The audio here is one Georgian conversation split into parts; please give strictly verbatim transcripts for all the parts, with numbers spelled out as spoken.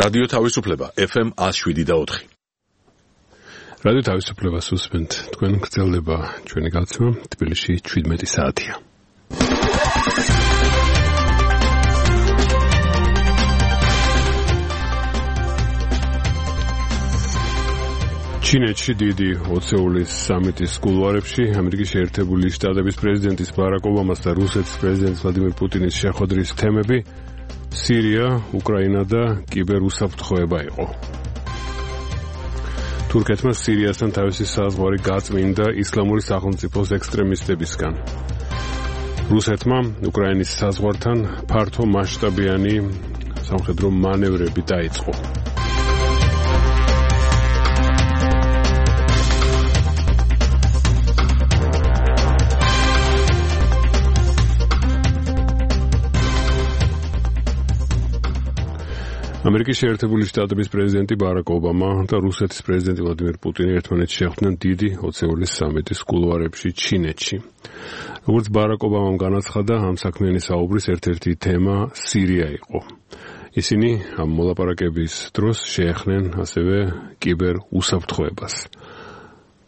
რადიო თავისუფლება ეფ ემ one oh seven point four. რადიო თავისუფლებას უსმენთ. თქვენ გრძელდება ჩვენი გაცნობა თბილისში seventeen საათია. ჩინეთში დიდი ოცეულის სამიტის კულუარებში ამერიკის შეერთებული შტატების პრეზიდენტის ბარაკ ობამას და რუსეთის პრეზიდენტის ვლადიმირ პუტინის შეხვედრის თემები სირია, უკრაინა და კიბერუსაფრთხოება იყო. თურქეთმა სირიასთან თავისი საზღვარი გაწმინდა ისლამური სახელმწიფოს ექსტრემისტებისგან. რუსეთმა უკრაინის საზღვართან ფართო მასშტაბიანი სამხედრო მანევრები დაიწყო. ამერიკის შეერთებული შტატების პრეზიდენტი ბარაკ ობამა და რუსეთის პრეზიდენტი ვლადიმირ პუტინი ერთმანეთს შეხვდნენ დიდი ოცეულის სამიტის კულუარებში ჩინეთში. როგორც ბარაკ ობამამ განაცხადა, ამ საქმიანი საუბრის ერთ-ერთი თემა სირია იყო. ისინი ამ მოლაპარაკების დროს შეეხნენ ასევე კიბერ უსაფრთხოებას,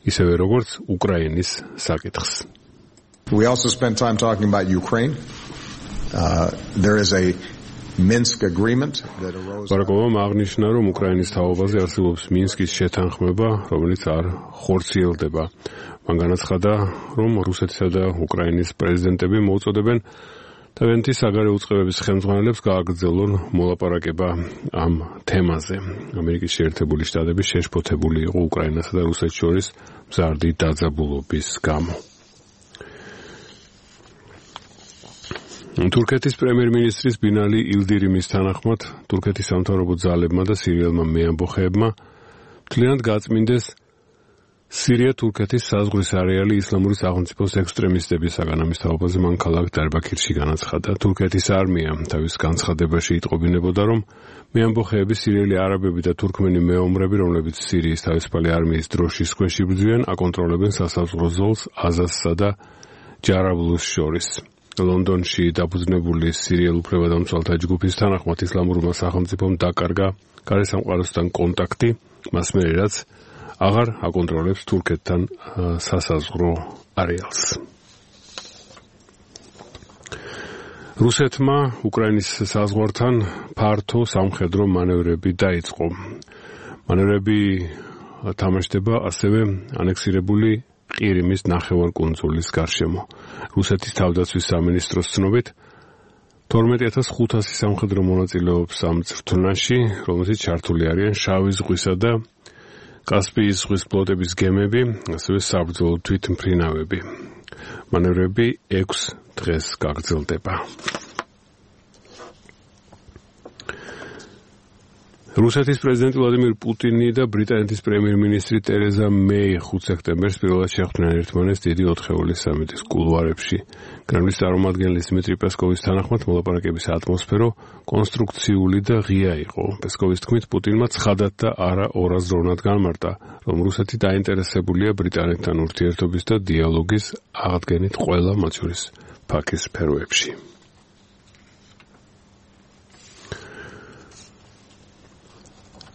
ისევე როგორც უკრაინის საკითხს. We also spent time talking about Ukraine. Uh, there is a Minsk agreement that arose. ბარაკ ობამამ აღნიშნა, რომ უკრაინის თაობაზე არსებობს მინსკის შეთანხმება, რომელიც არ ხორციელდება. მან განაცხადა, რომ რუსეთისა და უკრაინის პრეზიდენტები მოუწოდებენ თავიანთი საგარეო უწყებების ხელმძღვანელებს გააგრძელონ მოლაპარაკება ამ თემაზე. ამერიკის შეერთებული შტატები შეშფოთებული იყო უკრაინასა და რუსეთს შორის მზარდი დაძაბულობის გამო. თურქეთის პრემიერ-მინისტრის ბინალი ილდირიმის თანახმად თურქეთის სამთავრობო ძალებმა და სირიელმა მეამბოხეებმა მთლიანად გაწმინდეს სირია-თურქეთის საზღვრის არეალი ისლამური სახელმწიფოს ექსტრემისტებისაგან. ამის თაობაზე მან ქალაქ დარბაქირში განაცხადა. თურქეთის არმია თავის განცხადებაში იტყობინებოდა, რომ მეამბოხეები სირიელი არაბები და თურქმენი მეომრები, რომლებიც სირიის თავისუფალი არმიის დროშის ქვეშ იბრძვიან, აკონტროლებენ სასაზღვრო ზოლს აზაზსა და ჯარაბლუს შორის. ლონდონში დაფუძნებული სირიელ უფლებადამცველთა ჯგუფის თანახმად ისლამურმა სახელმწიფომ დაკარგა გარესამყაროსთან კონტაქტი, მას მერე რაც აღარ აკონტროლებს თურქეთთან სასაზღვრო არეალს. რუსეთმა უკრაინის საზღვართან ფართო სამხედრო მანევრები დაიწყო. მანევრები თამაშდება ასევე ანექსირებული ყირიმის ნახევარკუნძულის გარშემო. რუსეთის თავდაცვის სამინისტროს ცნობით თორმეტი ათას ხუთასი სამხედრო მონაწილეობს ამ წრთუნაში, რომელზეც ჩართული არიან შავი ზღვისა და კასპიის ზღვის ფლოტების გემები, ასევე საბრძოლო თვითმფრინავები. მანევრები ექვს დღეს გაგრძელდება. რუსეთის პრეზიდენტი ვლადიმირ პუტინი და ბრიტანეთის პრემიერ-მინისტრი ტერეზა მეი ხუთ სექტემბერს პირველად შეხვდნენ ერთმანეთს დიდი ოთხეულის სამიტის კულუარებში. კრემლის წარმომადგენლის დიმიტრი პესკოვის თანახმად მოლაპარაკების ატმოსფერო კონსტრუქციული და ღია იყო. პესკოვის თქმით, პუტინმა ცხადად და არა ორაზროვნად განმარტა, რომ რუსეთი დაინტერესებულია ბრიტანეთთან ურთიერთობის და დიალოგის აღდგენით ყველა მათ შორის ფაქის სფეროებში.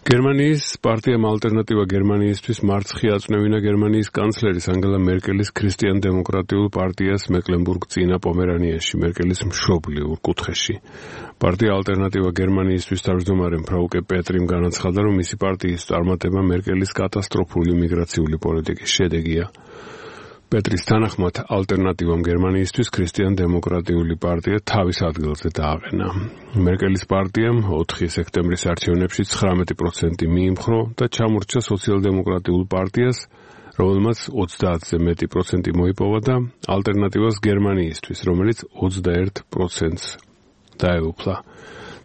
გერმანიის პარტიამ ალტერნატივა გერმანიისთვის მარცხი აწვნევინა გერმანიის კანცლერის ანგელა მერკელის ქრისტიან-დემოკრატიულ პარტიას მეკლენბურგ-წინა პომერანიაში, მერკელის მშობლიურ კუთხეში. პარტია ალტერნატივა გერმანიისთვის თავმჯდომარე ფრაუკე პეტრიმ განაცხადა, რომ მისი პარტიის წარმატება მერკელის კატასტროფული მიგრაციული პოლიტიკის შედეგია. პეტრის თანახმად ალტერნატივამ გერმანიისთვის ქრისტიან-დემოკრატიული პარტია თავის ადგილზე დააყენა. მერკელის პარტიამ ოთხი სექტემბრის არჩევნებში ცხრამეტი პროცენტი მიიმხრო და ჩამორჩა სოციალ-დემოკრატიულ პარტიას, რომელმაც ოცდაათზე მეტი პროცენტი მოიპოვა და ალტერნატივას გერმანიისთვის, რომელიც ოცდაერთ პროცენტს დაეუფლა.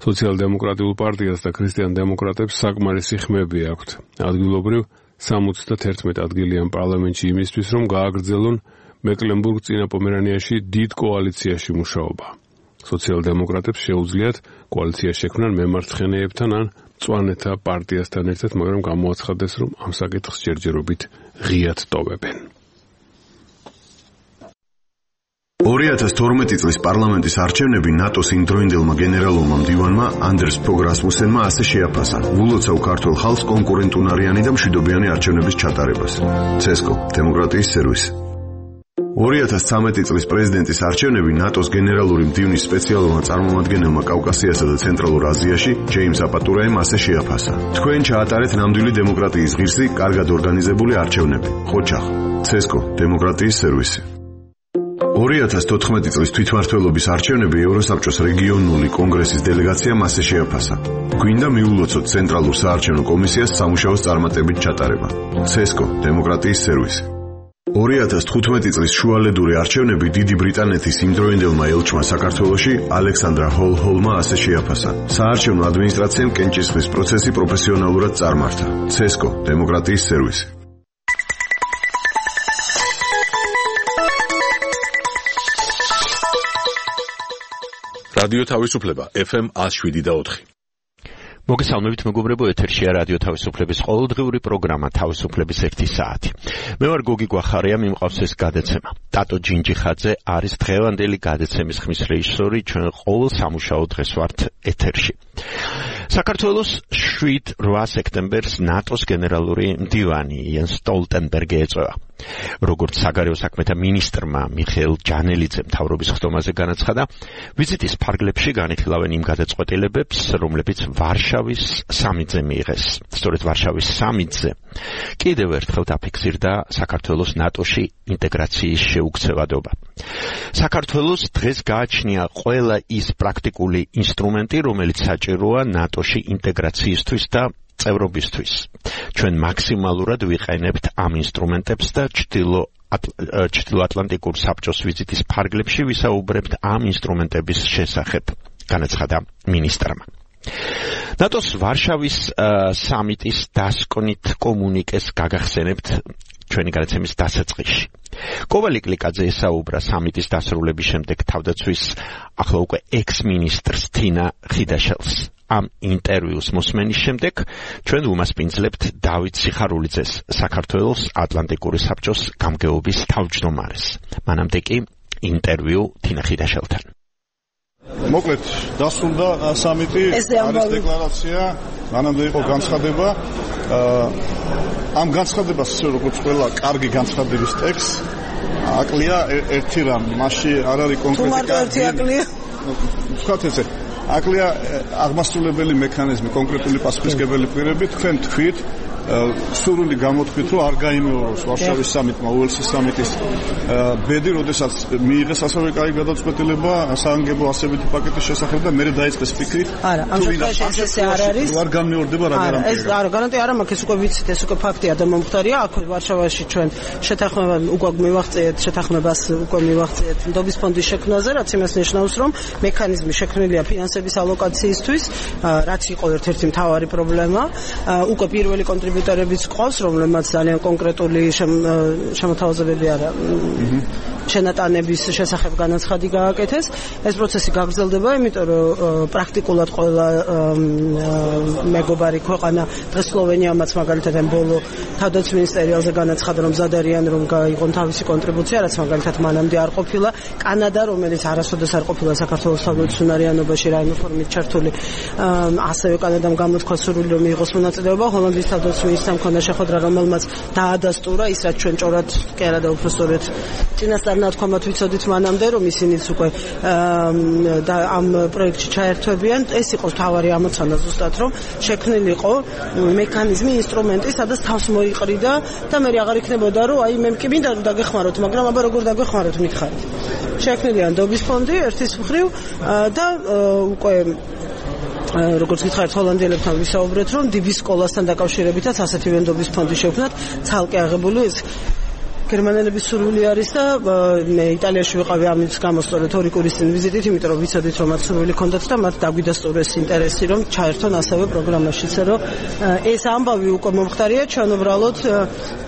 სოციალ-დემოკრატიულ პარტიას და ქრისტიან-დემოკრატებს საკმარისი ხმები აქვთ. ადგილობრივ სამოცდათერთმეტ ადგილიან პარლამენტში იმისთვის, რომ გააგრძელონ მეკლენბურგ-წინა პომერანიაში დიდ კოალიციაში მუშაობა. სოციალ-დემოკრატებს შეუძლიათ კოალიცია შექმნან მემარცხენეებთან ან მწვანეთა პარტიასთან ერთად, მაგრამ გამოაცხადეს, რომ ამ საკითხს ჯერჯერობით ღიად ტოვებენ. ორი ათას თორმეტი წლის პარლამენტის არჩევნები ნატოს იმდროინდელმა გენერალურმა მდივანმა ანდერს ფოგ რასმუსენმა ასე შეაფასა. ვულოცავ ქართულ ხალხს კონკურენტუნარიანი და მშვიდობიანი არჩევნების ჩატარებას. ცესკო, დემოკრატიის სერვისი. ორი ათას ცხრამეტი წლის პრეზიდენტის არჩევნები ნატოს გენერალური მდივნის სპეციალურმა წარმომადგენელმა კავკასიასა და ცენტრალურ აზიაში ჯეიმს აპატურაემ ასე შეაფასა. თქვენ ჩაატარეთ ნამდვილი დემოკრატიის ღირსი, კარგად ორგანიზებული არჩევნები. ხოჩახ, ცესკო, დემოკრატიის სერვისი. ორი ათას თოთხმეტი წლის თვითმმართველობის არჩევნები ევროსაბჭოს რეგიონული კონგრესის დელეგაციამ ასე შეაფასა. გვინდა მიულოცოთ ცენტრალურ საარჩევნო კომისიას სამუშაოს წარმატებით ჩატარება. ცესკო, დემოკრატიის სერვისი. ორი ათას თხუთმეტი წლის შუალედური არჩევნები დიდი ბრიტანეთის იმდროინდელმა ელჩმა საქართველოში ალექსანდრა ჰოლ-ჰოლმა ასე შეაფასა. საარჩევნო ადმინისტრაციამ კენჭისყრის პროცესი პროფესიონალურად წარმართა. ცესკო, დემოკრატიის სერვისი. რადიო თავისუფლება ეფ ემ ას შვიდი და ოთხი. მოგესალმებით მეგობრებო, ეთერშია რადიო თავისუფლების ყოველდღიური პროგრამა თავისუფლების ერთი საათი. მე ვარ გოგი გვახარია, მიმყავს ეს გადაცემა. ტატო ჯინჯიხაძე არის დღევანდელი გადაცემის ხმის რეჟისორი, ჩვენ ყოველ სამუშაო დღეს ვართ ეთერში. საქართველოს შვიდ რვა სექტემბერს ნატოს გენერალური მდივანი იენს სტოლტენბერგი ეწევა. როგორც საგარეო საქმეთა მინისტრმა მიხეილ ჯანელიძემ მთავრობის ხდომაზე განაცხადა, ვიზიტის ფარგლებში განიხილავენ იმ გადაწყვეტილებებს, რომლებიც ვარშავის სამიტზე მიიღეს. სწორედ ვარშავის სამიტზე კიდევ ერთხელ დაფიქსირდა საქართველოს ნატოში ინტეგრაციის შეუქცევადობა. საქართველოს დღეს გააჩნია ყველა ის პრაქტიკული ინსტრუმენტი, რომელიც საჭიროა ნატოში ინტეგრაციისთვის და წევრობისთვის. ჩვენ მაქსიმალურად ვიყენებთ ამ ინსტრუმენტებს და ჩრდილოატლანტიკურ საბჭოს ვიზიტის ფარგლებში ვისაუბრებთ ამ ინსტრუმენტების შესახებ, განაცხადა მინისტრმა. ნატოს ვარშავის სამიტის დასკვნით კომუნიკეს გაგახსენებთ ჩვენი გადაცემის დასაწყისში. კოვალი კლიკაძე ესაუბრა სამიტის დასრულების შემდეგ თავდაცვის ახლა უკვე ექს-მინისტრს თინა ხიდაშელს. ამ ინტერვიუს მოსმენის შემდეგ ჩვენ უმასპინძლებთ დავით სიხარულიძეს, საქართველოს ატლანტიკური საბჭოს გამგეობის თავმჯდომარეს. მანამდე კი ინტერვიუ თინა ხიდაშელთან. მოკლედ დასრულდა სამიტი, არის დეკლარაცია, მანამდე იყო განცხადება. ამ განცხადებას, როგორც ყველა კარგი განცხადების ტექსტ, აკლია ერთი რამ, მასში არ არის კონკრეტიკა. თუ მარტო ერთი აკლია? ვთქვათ ესე, აკლია აღმასრულებელი მექანიზმი, კონკრეტული პასუხისმგებელი პირები, თქვენ თქვით, სურვილი გამოთქვით, რომ არ გაიმეოროს ვარშავის სამიტმა, უელსის სამიტის ბედი, როდესაც მიიღეს ასევე კაი გადაწყვეტილება საანგებო ასებითი პაკეტის შესახებ და მერე დაიწყეს ფიქრი. არა, ამ შემთხვევაში ესე არ არის. არ განმეორდება რა გარანტია. ეს არა, გარანტია არა მაქვს, ეს უკვე ვიცით, ეს უკვე ფაქტია და მომხდარია. აქ ვარშავაში ჩვენ შეთანხმება უკვე მივაღწიეთ, შეთანხმებას უკვე მივაღწიეთ ნდობის ფონდის შექმნაზე, რაც იმას ნიშნავს, რომ მექანიზმი შექმნილია ფინანსების ალოკაციისთვის, რაც იყო ერთ-ერთი მთავარი პრობლემა. უკვე პირველი კონტრიბუტორებიც ყავს, რომლებმაც ძალიან კონკრეტული შემოთავაზებები არა შენატანების შესახებ განაცხადი გააკეთეს. ეს პროცესი გაგრძელდება, იმიტომ რომ პრაქტიკულად ყველა მეგობარი ქვეყანა, დღეს სლოვენიამაც მაგალითად ამ ბოლო თავდაცვის მინისტერიალზე განაცხადა, რომ მზად არიან რომ გაიღონ თავისი კონტრიბუცია, რაც მაგალითად მანამდე არ ყოფილა. კანადა, რომელიც არასოდეს არ ყოფილა საქართველოს თავდაცვის უნარიანობაში რაიმე ფორმით ჩართული, ასევე კანადამ გამოთქვა სურვილი რომ მიიღოს მონაწილეობა. ჰოლანდიის თავდაცვის მინისტრმა მქონდა შეხვედრა, რომელმაც დაადასტურა ის, რაც ჩვენ ჭორად კი არა და უბრალოდ წინასწარ ნათქვამად ვიცოდით მანამდე, რომ ისინიც უკვე ამ პროექტში ჩაერთვებიან. ეს იყო თავარი ამოცანა ზუსტად, რომ შექმნილიყო მექანიზმი, ინსტრუმენტი, სადაც თავს მოიყრიდა და მე აღარ იქნებოდა, რომ აი მე კი მინდა რომ დაგეხმაროთ, მაგრამ აბა როგორ დაგეხმაროთ მითხარით. შექმნილია ნდობის ფონდი ერთის მხრივ და უკვე როგორც გითხარით, ჰოლანდიელებთან ვისაუბრეთ, რომ დი-ბის სკოლასთან დაკავშირებითაც ასეთივე ნდობის ფონდი შევქმნათ, ცალკე აღებული ეს გერმანელების სურვილი არის და მე იტალიაში ვიყავი ამის გამო სწორედ ორი კვირის წინ ვიზიტით, იმიტომ რომ ვიცოდით რომ მათ სურვილი ჰქონდათ და მათ დაგვიდასტურეს ინტერესი რომ ჩაერთონ ასევე პროგრამაშიც, რომ ეს ამბავი უკვე მომხდარია, ჩვენ უბრალოდ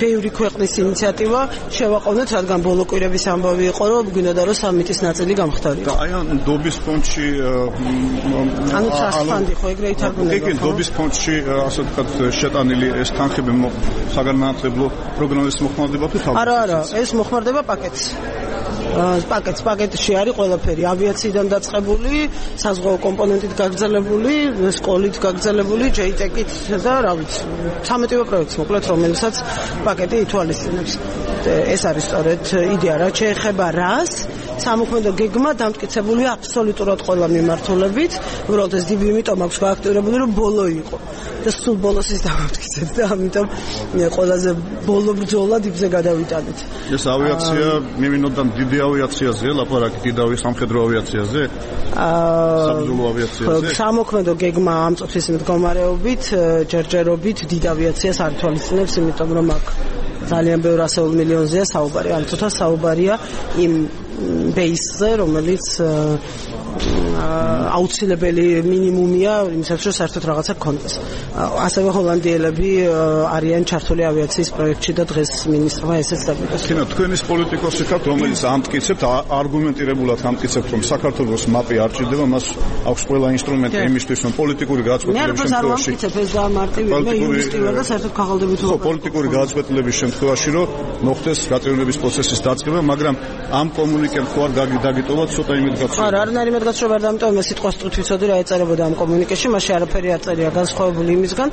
ბევრი ქვეყნის ინიციატივა შევაყოვნეთ, რადგან ბოლო კვირების ამბავი იყო, რომ გვინდა რომ სამიტის ნაწილი გამხდარიყო. და აი ამ ნდობის ფონდში ანუ სასფანდი ხო ეგრე ითარგმნება. კი, ნდობის ფონდში ასე ვთქვათ შეტანილი ეს თანხები საგანმანათლებლო პროგრამის მოხმარდება თუ თავი? არა, არა, ეს მოხმარდება პაკეტს. პაკეტს პაკეტში არის ყველაფერი ავიაციიდან დაწყებული, საზღვაო კომპონენტით გაგრძელებული, სკოლით გაგრძელებული, ჯეიტეკით და რა ვიცი, სამეტივე პროექტს მოკლედ, რომელსაც პაკეტი ითვალისწინებს. ეს არის სწორედ იდეა, რაც შეეხება რას სამოქმედო გეგმა დამტკიცებულია აბსოლუტურად ყველა მიმართულებით, უბრალოდ ეს დი ბი იმიტომ აქვს გააქტიურებული, რომ ბოლო იყო და სულ ბოლოს ის დამტკიცეთ და ამიტომ ყველაზე ბოლო ბრძოლა დიბზე გადავიტანეთ. ეს ავიაცია მიმინოდან დიდი ავიაციაზეა, ლაპარაკი დიდავი სამხედრო ავიაციაზე? აა საბრძოლო ავიაციაზე? სამოქმედო გეგმა ამ წუთის მდგომარეობით, ჯერჯერობით დიდ ავიაციას არ თვალისწინებს, იმიტომ რომ აქ ძალიან ბევრ ასეულ მილიონზეა საუბარი, ან თუთა საუბარია იმ ბეისზე, რომელიც აუცილებელი მინიმუმია იმისათვის, რომ საერთოდ რაღაცა გქონდეს. ასევე ჰოლანდიელები არიან ჩართული ავიაციის პროექტში და დღეს მინისტრმა ესეც დაგიტოს. თინა, თქვენის პოლიტიკოსი ხართ, რომელიც ამტკიცებთ, არგუმენტირებულად ამტკიცებთ, რომ საქართველოს მაპი არ ჭირდება, მას აქვს ყველა ინსტრუმენტი იმისთვის, რომ პოლიტიკური გადაწყვეტილების შემთხვევაში ეს გამარტივია, მე იურისტი ვარ და საერთოდ ქაღალდებით ვარ. პოლიტიკური გადაწყვეტილების შემთხვევაში, რომ მოხდეს გაწევრიანების პროცესის დაწყება, მაგრამ ამ კომუნიკემ ხო არ დაგიტოვა ცოტა იმედგაცრუება. არა, არ არის იმედგაცრუება, ამიტომ მე სიტყვას ტყუთ ვიცოდი რა ეწერებოდა ამ კომუნიკეში, მაშინ არაფერი აწერია განსხვავებული იმისგან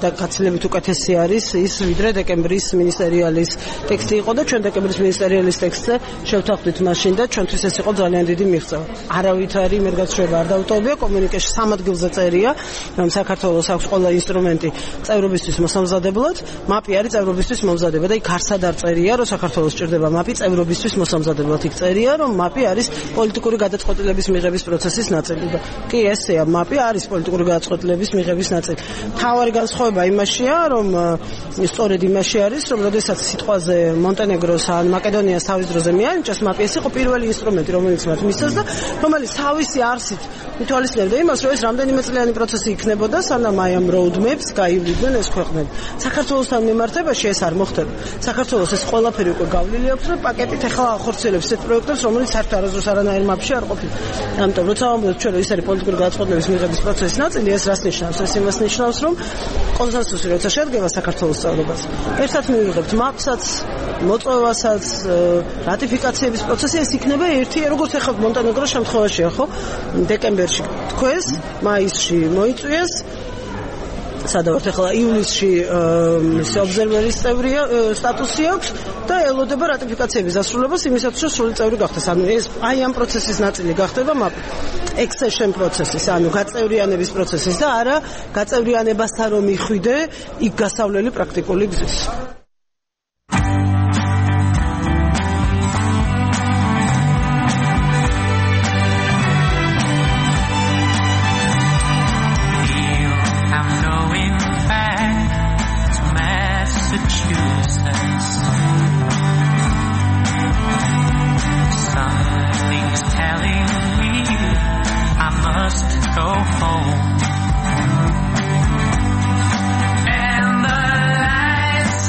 და გაცილებით უკეთესი არის ის, ვიდრე დეკემბრის მინისტერიალის ტექსტი იყო და ჩვენ დეკემბრის მინისტერიალის ტექსტზე შევთანხმდით მაშინ და ჩვენთვის ეს იყო ძალიან დიდი მიღწევა. არავითარი იმედგაცრუება არ დაუტოვებია, კომუნიკეში სამ ადგილზე წერია, რომ საქართველოს აქვს ყველა ინსტრუმენტი წევრობისთვის მოსამზადებლად, მაპი არის წევრობისთვის მომზადება და იქ არსად არ წერია, რომ საქართველოს ჭირდება მაპი წევრობისთვის მოსამზადებლად. იქ წერია, რომ მაპი არის პოლიტიკური გადაწყვეტილების მიღების პროცესის ნაწილი და კი ესეა, მაპი არის პოლიტიკური გადაწყვეტილების მიღების ნაწილი. თავარი განსხვავება იმაშია, რომ სწორედ იმაში არის, რომ როდესაც სიტყვაზე მონტენეგროს ან მაკედონიას თავის დროზე მიანიჭეს, მაპი ეს იყო პირველი ინსტრუმენტი, რომელიც მათ მისცეს და რომელიც თავისი არსით მითვალისწინებდა იმას, რომ ეს რამდენიმე წლიანი პროცესი იქნებოდა, სანამ აი ამ roadmaps გაივლიდნენ ეს ქვეყნები. საქართველოსთან მიმართებაში ეს არ მოხდება. საქართველოს ეს ყველაფერი უკვე გავლილი აქვს და პაკეტით ახლა ახორციელებს ეს პროექტებს, რომელიც საერთოდ არასდროს არანაირ მაპში არ ყოფილა. ამიტომ როცა ვამბობთ ჩვენ, რომ ის არის პოლიტიკური გადაწყვეტილების მიღების პროცესის ნაწილი, ეს რას ნიშნავს? ეს იმას ნიშნავს, რომ კონსენსუსი როცა შედგება საქართველოს წევრობას, ერთად მივიღებთ მაპსაც, მოწვევასაც, რატიფიკაციების პროცესი, ეს იქნება ერთი, როგორც ახლა მონტენეგროს შემთხვევაშია, ხო? დეკემბერში თქვეს, მაისში მოიწვიეს, სადავართ ახლა ივლისში ობზერვერის წევრია სტატუსი აქვს და ელოდება რატიფიკაციების დასრულებას იმისათვის, რომ სრული წევრი გახდეს. ანუ ეს აი ამ პროცესის ნაწილი გახდება მაპი. accession პროცესის, ანუ გაწევრიანების პროცესის და არა გაწევრიანებასთან რომ მიხვიდე იქ გასავლელი პრაქტიკული გზის. Go home, and the lights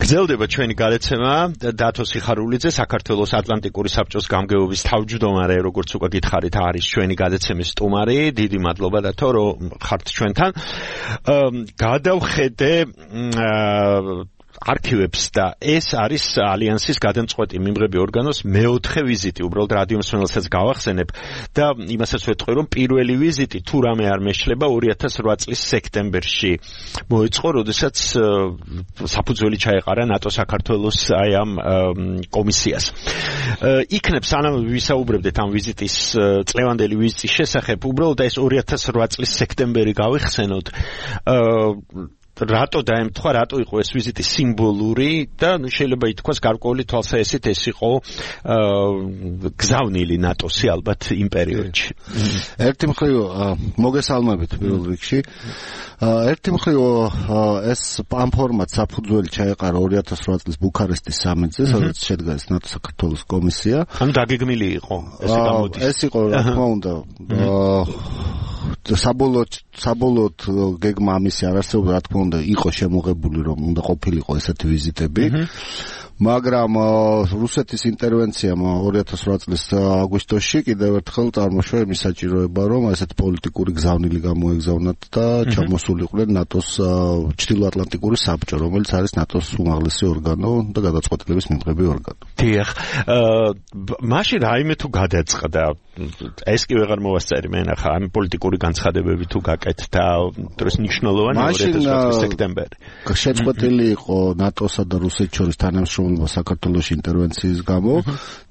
გრძელდება ჩვენი გადაცემა დათო სიხარულიძე საქართველოს ატლანტიკური საბჭოს გამგეობის თავმჯდომარე როგორც უკვე გითხარით არის ჩვენი გადაცემის სტუმარი დიდი მადლობა დათო რომ ხართ ჩვენთან გადავხედე არქივებს და ეს არის ალიანსის გადამწყვეტი მიმღები ორგანოს მეოთხე ვიზიტი უბრალოდ რადიო მსმენელსაც გავახსენებ და იმასაც ვეთქვი რომ პირველი ვიზიტი თუ რამე არ მეშლება ორი ათას რვა წლის სექტემბერში მოეწყო როდესაც საფუძველი ჩაეყარა ნატო საქართველოს აი ამ კომისიას იქნებ სანამ ვისაუბრებდეთ ამ ვიზიტის წლევანდელი ვიზიტის შესახებ უბრალოდ ეს ორი ათას რვა წლის სექტემბერი გავიხსენოთ რატო დაემთხვა, რატო იყო ეს ვიზიტი სიმბოლური და შეიძლება ითქვას გარკვეული თვალსაჩინო ეს იყო გზავნილი ნატოსი ალბათ იმ პერიოდში. ერთი მხრივ მოგესალმებით პირველ რიგში. ერთი მხრივ ეს ამ ფორმატ საფუძველი ჩაეყარა ორი ათას რვა წლის ბუქარესტის სამიტზე, სადაც შედგა ეს ნატო საქართველოს კომისია. ანუ დაგეგმილი იყო ესე გამოდის. ეს იყო რა თქმა უნდა საბოლოოდ საბოლოოდ გეგმა ამისი არ არსებობდა რა თქმა უნდა იყო შემოღებული რომ უნდა ყოფილიყო ესეთი ვიზიტები მაგრამ რუსეთის ინტერვენციამ ორი ათას რვა წლის აგვისტოში კიდევ ერთხელ წარმოშვა იმის საჭიროება რომ ესეთი პოლიტიკური გზავნილი გამოეგზავნათ და ჩამოსულიყვნენ ნატოს ჩრდილოატლანტიკური საბჭო რომელიც არის ნატოს უმაღლესი ორგანო და გადაწყვეტილების მიმღები ორგანო. დიახ, მაშინ რაიმე თუ გადაწყდა ეს კი ვეღარ მოვასწარი მე ნახა ამ პოლიტიკური განცხადებები თუ გაკეთდა დროს ნიშნულოვანი ორი ათას რვა წლის სექტემბერი. შეწყვეტილი იყო ნატოსა და რუსეთის შორის თანამშრომლობა საქართველოში ინტერვენციის გამო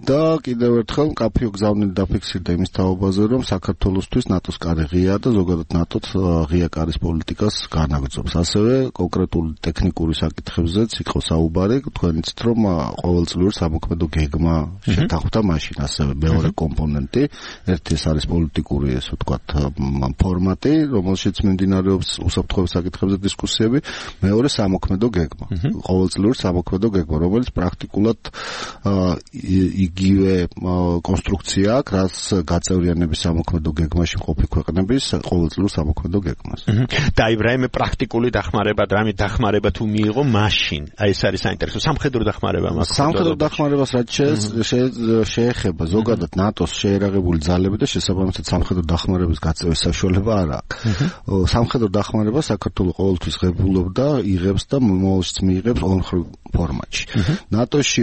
და კიდევ ერთხელ მკაფიო გზავნილი დაფიქსირდა იმის თაობაზე რომ საქართველოსთვის ნატოს კარი ღია და ზოგადად ნატოს ღია კარის პოლიტიკას განაგრძობს. ასევე კონკრეტული ტექნიკური საკითხებზეც იყო საუბარი, თქვენიც რომ ყოველწლიურ სამოქმედო გეგმა შეთანხმდა მაშინ ასევე მეორე კომპონენტი ერთი ეს არის პოლიტიკური ესე ვთქვათ ფორმატი, რომელშიც მიმდინარეობს უსაფრთხოების საკითხებზე დისკუსიები, მეორე სამოქმედო გეგმა. ყოველწლიურ სამოქმედო გეგმა, რომელიც პრაქტიკულად იგივე კონსტრუქცია აქვს, რაც გაწევრიანების სამოქმედო გეგმაში მყოფი ქვეყნების ყოველწლიურ სამოქმედო გეგმას. და აი რაიმე პრაქტიკული დახმარება, რაიმე დახმარება თუ მიიღო მაშინ, აი ეს არის საინტერესო სამხედრო დახმარება მას. სამხედრო დახმარებას რაც შეეხება ზოგადად ნატოს შეერაღებული ძალები და შესაბამისად სამხედრო დახმარების გაწევის საშუალება არ აქვს. სამხედრო დახმარება საქართველოს ყოველთვის ღებულობდა, იღებს და მომავალშიც მიიღებს ორმხრივ ფორმატში. ნატოში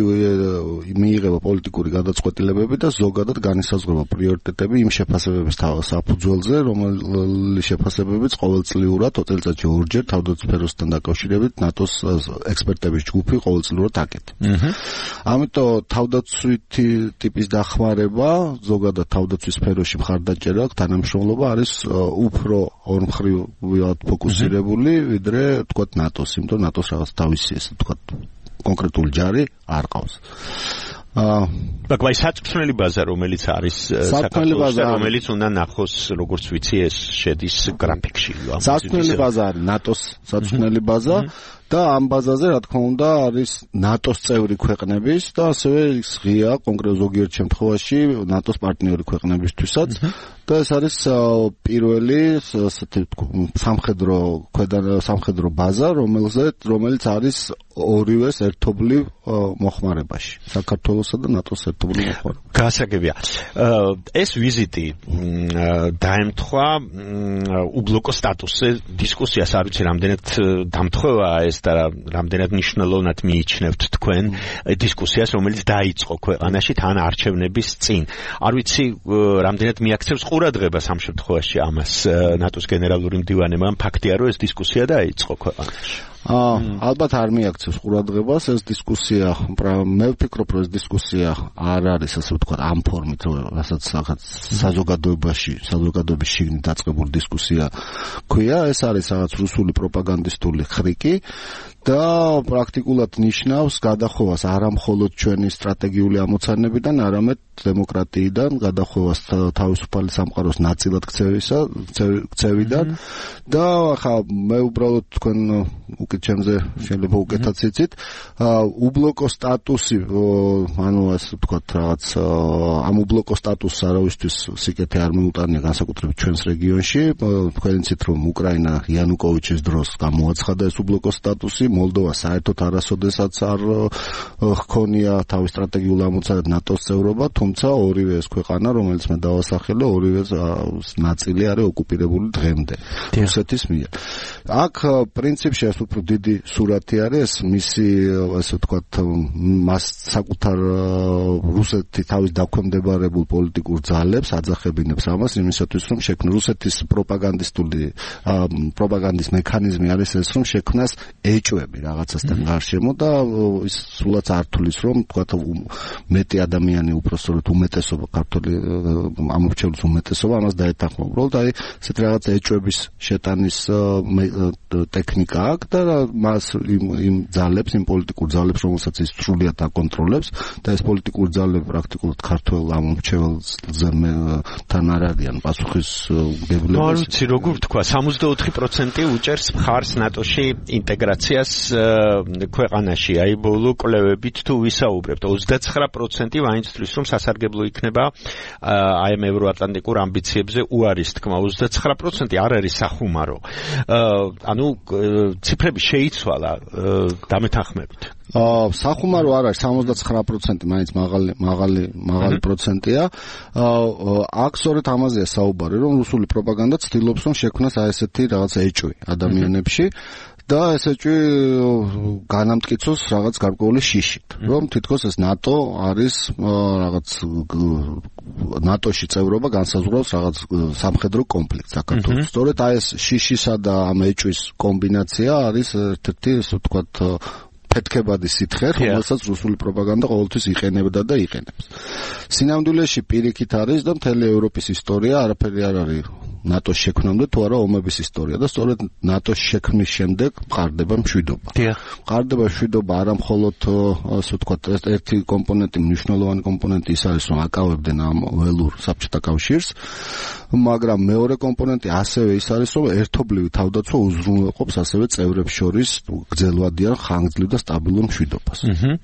მიიღება პოლიტიკური გადაწყვეტილებები და ზოგადად განისაზღვრება პრიორიტეტები იმ შეფასებების საფუძველზე, რომელი შეფასებებიც ყოველწლიურად წელიწადში ორჯერ თავდაცვის სფეროსთან დაკავშირებით ნატოს ექსპერტების ჯგუფი ყოველწლიურად აკეთებს. ამიტომ თავდაცვითი ტიპის დახმარება, ზოგადად თავდაცვის სფეროში მხარდაჭერა, თანამშრომლობა არის უფრო ორმხრივად ფოკუსირებული, ვიდრე თქვათ ნატოს, იმიტომ ნატოს რაღაც თავისი ესე თქვათ კონკრეტული ჯარი არ ყავს. მაგრამ საწვრთნელი ბაზა რომელიც არის საქართველოს და რომელიც უნდა ნახოს როგორც ვიცი ეს შედის გრაფიკში. საწვრთნელი ბაზა არის ნატოს საწვრთნელი ბაზა და ამ ბაზაზე რა თქმა უნდა არის ნატოს წევრი ქვეყნების და ასევე ღია კონკრეტ ზოგიერთ შემთხვევაში ნატოს პარტნიორი ქვეყნებისთვისაც და ეს არის პირველი ასეთი სამხედრო ქვედა სამხედრო ბაზა რომელზეც რომელიც არის ორივეს ერთობლივ მოხმარებაში საქართველოსა და ნატოს ერთობლივ მოხმარებაში. გასაგებია. ეს ვიზიტი დაემთხვა უბლოკო სტატუსზე დისკუსიას არ ვიცი რამდენად დამთხვევაა ეს და რამდენად მნიშვნელოვნად მიიჩნევთ თქვენ დისკუსიას რომელიც დაიწყო ქვეყანაში თან არჩევნების წინ. არ ვიცი რამდენად მიაქცევს ყურადღებას ამ შემთხვევაში ამას ნატოს გენერალური მდივანი, მაგრამ ფაქტია რომ ეს დისკუსია დაიწყო ქვეყანაში. ალბათ არ მიაქცევს ყურადღებას ეს დისკუსია, მე ვფიქრობ რომ ეს დისკუსია არ არის ასე ვთქვათ ამ ფორმით, რასაც საზოგადოებაში, საზოგადოების შიგნით დაწყებული დისკუსია ქვია, ეს არის რაღაც რუსული პროპაგანდისტული ხრიკი და პრაქტიკულად ნიშნავს გადახოვას არა მხოლოდ ჩვენი სტრატეგიული ამოცანებიდან, არამედ დემოკრატიიდან, გადახოვას თავისუფალი სამყაროს ნაწილად ქცევისა, ქცევიდან და ხა მე უბრალოდ თქვენ უკეთ ჩემზე შეიძლება უკეთაც იცით, უბლოკო სტატუსი, ანუ ასე ვთქვათ რაღაც ამ უბლოკო სტატუსს არავისთვის სიკეთე არ მიუტანია განსაკუთრებით ჩვენს რეგიონში, თქვენ იცით რომ უკრაინა იანუკოვიჩის დროს გამოაცხადა ეს უბლოკო სტატუსი, მოლდოვა საერთოდ არასოდესაც არ ჰქონია თავის სტრატეგიულ ამოცანად ნატოს წევრობა, თუმცა ორივე ეს ქვეყანა, რომელიც მე დავასახელე, ორივე ნაწილი არის ოკუპირებული დღემდე რუსეთის მიერ. აქ პრინციპში ეს უფრო დიდი სურათი არის, მისი ასე ვთქვათ, მას საკუთარ რუსეთი თავის დაქვემდებარებულ პოლიტიკურ ძალებს აძახებინებს ამას იმისათვის, რომ შექმნას რუსეთის პროპაგანდისტული პროპაგანდის მექანიზმი არის ეს, რომ შექმნას ეჭვები რაღაცასთან გარშემო და ის სულაც არ თulis, რომ ვთქვათ მეტი ადამიანი უпростоროდ უმეტესობა ქართული ამორჩეულის უმეტესობა ამას დაეთანხმა. უბრალოდ აი ესეთ რაღაც ეჭვების შეტანის ტექნიკა აქვს და მას იმ ძალებს, იმ პოლიტიკურ ძალებს, რომელსაც ის სრულიად აკონტროლებს და ეს პოლიტიკური ძალები პრაქტიკულად ქართულ ამორჩეულზე თან არ არიან პასუხისმგებლები. არ ვიცი როგორ თქვა, სამოცდაოთხი პროცენტი უჭერს მხარს ნატოში ინტეგრაციას ქვეყანაში. აი ბოლო კვლევებით თუ ვისაუბრებთ, ოცდაცხრა პროცენტი მაინც თვლის, რომ სასარგებლო იქნება აი ამ ევროატლანტიკურ ამბიციებზე უარის თქმა. ოცდაცხრა პროცენტი არ არის სახუმარო. ანუ ციფრები შეიცვალა დამეთანხმებით. აა სახუმარო არ არის, სამოცდაცხრა პროცენტი მაინც მაღალი მაღალი მაღალი პროცენტია. აა აქ სწორედ ამაზეა საუბარი, რომ რუსული პროპაგანდა ცდილობს, რომ შექმნას აი ესეთი რაღაც ეჭვი ადამიანებში და ეს ეჭვი განამტკიცოს რაღაც გარკვეული შიშით, რომ თითქოს ეს ნატო არის რაღაც ნატოში წევრობა განსაზღვრავს რაღაც სამხედრო კონფლიქტს საქართველოს. სწორედ აი ეს შიშისა და ამ ეჭვის კომბინაცია არის ერთ-ერთი, ასე ვთქვათ, ფეთქებადი სითხე, რომელსაც რუსული პროპაგანდა ყოველთვის იყენებდა და იყენებს. სინამდვილეში პირიქით არის და მთელი ევროპის ისტორია არაფერი არ არის ნატოს შექმნამდე თუ არა ომების ისტორია და სწორედ ნატოს შექმნის შემდეგ მყარდება მშვიდობა. მყარდება მშვიდობა არა მხოლოდ ასე ვთქვათ, ერთი კომპონენტი, მნიშვნელოვანი კომპონენტი ის არის, რომ აკავებდნენ ამ ველურ საბჭოთა კავშირს, მაგრამ მეორე კომპონენტი ასევე ის არის, რომ ერთობლივი თავდაცვა უზრუნველყოფს ასევე წევრებს შორის გრძელვადიან, ხანგრძლივ და სტაბილურ მშვიდობას.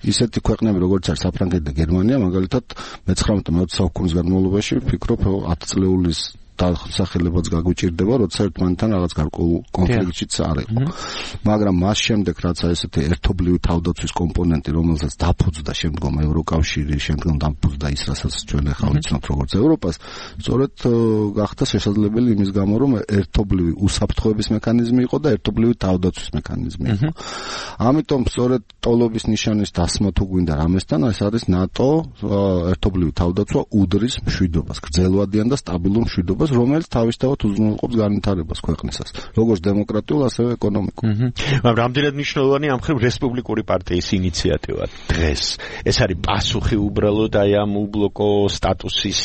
ისეთი ქვეყნები როგორც არის საფრანგეთი და გერმანია, მაგალითად მეცხრამეტე მეოცე საუკუნის განმავლობაში ვფიქრობ ათი წლეულის დასახელებაც გაგვიჭირდება, როცა ერთმანეთთან რაღაც გარკვეულ კონფლიქტშიც არ იყო. მაგრამ მას შემდეგ, რაც ესეთი ერთობლივი თავდაცვის კომპონენტი, რომელსაც დაფუძნდა შემდგომ ევროკავშირი, შემდგომ დაფუძნდა ის, რასაც ჩვენ ახლა ვიცნობთ როგორც ევროპას, სწორედ გახდა შესაძლებელი იმის გამო, რომ ერთობლივი უსაფრთხოების მექანიზმი იყო და ერთობლივი თავდაცვის მექანიზმი იყო. ამიტომ სწორედ ტოლობის ნიშანის დასმა თუ გვინდა რამესთან, ეს არის ნატო ერთობლივი თავდაცვა უდრის მშვიდობას, გრძელვადიან და სტაბილურ მშვიდობას, რომელიც თავისთავად უზრუნველყოფს განვითარებას ქვეყნისას, როგორც დემოკრატიულ, ასევე ეკონომიკურ. მაგრამ რამდენად მნიშვნელოვანი ამ ხრივ რესპუბლიკური პარტიის ინიციატივა დღეს. ეს არის პასუხი უბრალოდ აი ამ უბლოკო სტატუსის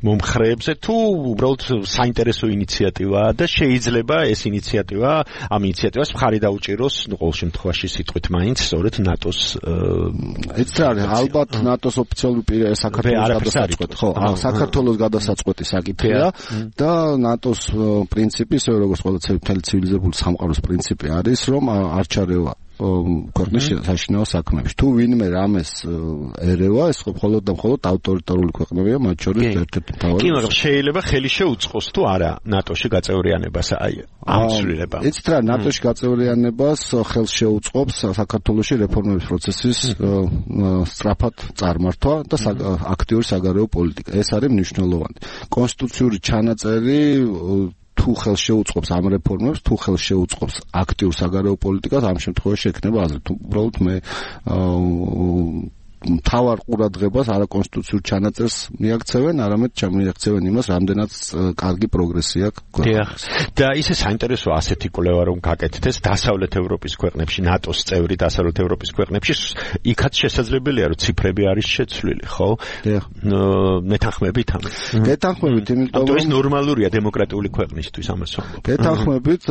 მომხრეებზე თუ უბრალოდ საინტერესო ინიციატივაა და შეიძლება ეს ინიციატივა ამ ინიციატივას მხარი დაუჭიროს, ნუ ყოველ შემთხვევაში სიტყვით მაინც სწორედ ნატოს ეს არის ალბათ ნატოს ოფიციალური პირი საქართველოს გადასაწყვეტი, ხო, საქართველოს გადასაწყვეტი საკითხია და ნატოს პრინციპი, ისე როგორც ყველა ცივილიზებული სამყაროს პრინციპი არის, რომ არ ჩარევა ქვეყნის საშინაო საქმეებში. თუ ვინმე რამეს ერევა, ეს მხოლოდ და მხოლოდ ავტორიტარული ქვეყნებია, მათ შორის ერთ-ერთი მთავარი. კი, მაგრამ შეიძლება ხელი შეუწყოს თუ არა ნატოში გაწევრიანებას აი ამ ცვლილება. იცით რა, ნატოში გაწევრიანებას ხელს შეუწყობს საქართველოში რეფორმების პროცესის სწრაფად წარმართვა და აქტიური საგარეო პოლიტიკა. ეს არის მნიშვნელოვანი. კონსტიტუციური ჩანაწერი თუ ხელს შეუწყობს ამ რეფორმებს, თუ ხელს შეუწყობს აქტიურ საგარეო პოლიტიკას, ამ შემთხვევაში ექნება აზრით. უბრალოდ მე მთავარ ყურადღებას არა კონსტიტუციურ ჩანაწერს მიაქცევენ, არამედ ჩამიაქცევენ იმას, რამდენად კარგი პროგრესი აქვს. და ისე საინტერესო ასეთი კვლევა რომ გაკეთდეს დასავლეთ ევროპის ქვეყნებში, ნატოს წევრი დასავლეთ ევროპის ქვეყნებში, იქაც შესაძლებელია რომ ციფრები არის შეცვლილი, ხო? მეთანხმებით ამას. მეთანხმებით, იმიტომ რომ ეს ნორმალურია დემოკრატიული ქვეყნისთვის ამას ვამბობ. მეთანხმებით,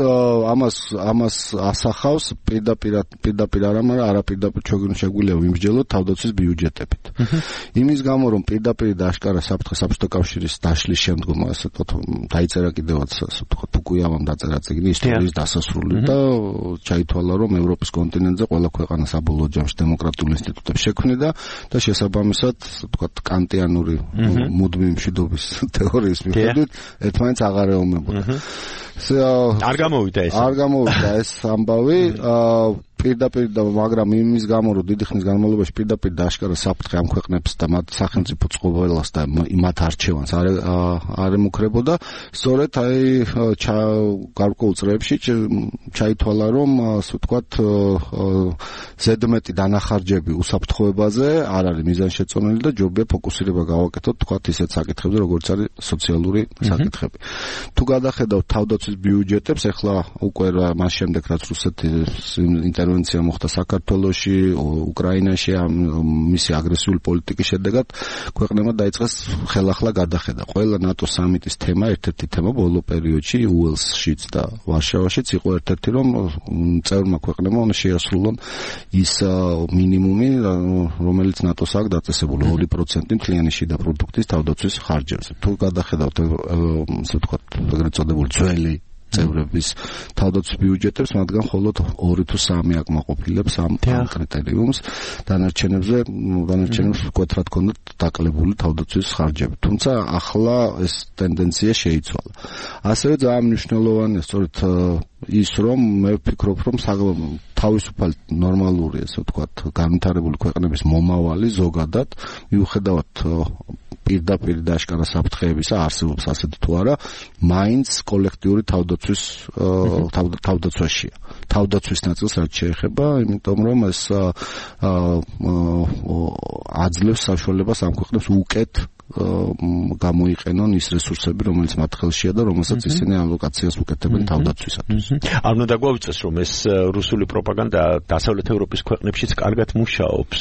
ამას ამას ასახავს პირდაპირ პირდაპირ არა, მაგრამ არაპირდაპირ შეგვიძლია ვიმსჯელოთ თავდაცვის ბიუჯეტებით. იმის გამო რომ პირდაპირ და აშკარა საფრთხე საბჭოთა კავშირის დაშლის შემდგომ ასე ვთქვათ დაიწერა კიდევაც ასე ვთქვათ ფუკუიამამ დაწერა წიგნი ისტორიის დასასრული და ჩაითვალა რომ ევროპის კონტინენტზე ყველა ქვეყანა საბოლოო ჯამში დემოკრატიულ ინსტიტუტებს შექმნიდა და შესაბამისად ასე ვთქვათ კანტიანური მუდმივი მშვიდობის თეორიის მიხედვით ერთმანეთს აღარ ეომებოდა. არ გამოვიდა ეს. არ გამოვიდა ეს ამბავი პირდაპირ და მაგრამ იმის გამო რომ დიდი ხნის განმავლობაში პირდაპირ და აშკარა საფრთხე ამ ქვეყნებს და მათ სახელმწიფო წყობილებას და მათ არჩევანს არ არ ემუქრებოდა სწორედ აი გარკვეულ წრეებში ჩაითვალა რომ ასე ვთქვათ ზედმეტი დანახარჯები უსაფრთხოებაზე არ არის მიზანშეწონილი და ჯობია ფოკუსირება გავაკეთოთ თქვათ ისეთ საკითხებზე როგორც არის სოციალური საკითხები. თუ გადახედავთ თავდაცვის ბიუჯეტებს ახლა უკვე მას შემდეგ რაც რუსეთის ინტერვენცია მოხდა საქართველოში, უკრაინაში მისი აგრესიული პოლიტიკის შედეგად ქვეყნებმა დაიწყეს ხელახლა გადახედა. ყველა ნატო სამიტის თემა, ერთ-ერთი თემა ბოლო პერიოდში უელსშიც და ვარშავაშიც იყო ერთ-ერთი რომ წევრმა ქვეყნებმა უნდა შეასრულონ ის მინიმუმი, რომელიც ნატოს აქვს დაწესებული ორი პროცენტი მთლიანი შიდა პროდუქტის თავდაცვის ხარჯებზე. თუ გადახედავთ ასე ვთქვათ, ეგრეთ წოდებული ძველი წევრების თავდაცვის ბიუჯეტებს, მათგან მხოლოდ ორი თუ სამი აკმაყოფილებს ამ კრიტერიუმს, დანარჩენებზე დანარჩენებს მკვეთრად ჰქონდათ დაკლებული თავდაცვის ხარჯები. თუმცა ახლა ეს ტენდენცია შეიცვალა. ასევე ძალიან მნიშვნელოვანია სწორედ ის რომ მე ვფიქრობ რომ თავისუფალი ნორმალური ესე ვთქვათ განვითარებული ქვეყნების მომავალი ზოგადად მიუხედავად პირდაპირ და აშკარა საფრთხეებისა არსებობს ასეთი თუ არა, მაინც კოლექტიური თავდაცვის თავდაცვაშია. თავდაცვის ნაწილს რაც შეეხება, იმიტომ რომ ეს აძლევს საშუალებას ამ ქვეყნებს უკეთ გამოიყენონ ის რესურსები, რომელიც მათ ხელშია და რომელსაც ისინი ალოკაციას უკეთებენ თავდაცვისათვის. არ უნდა გვავიწყოს რომ ეს რუსული პროპაგანდა დასავლეთ ევროპის ქვეყნებშიც კარგად მუშაობს.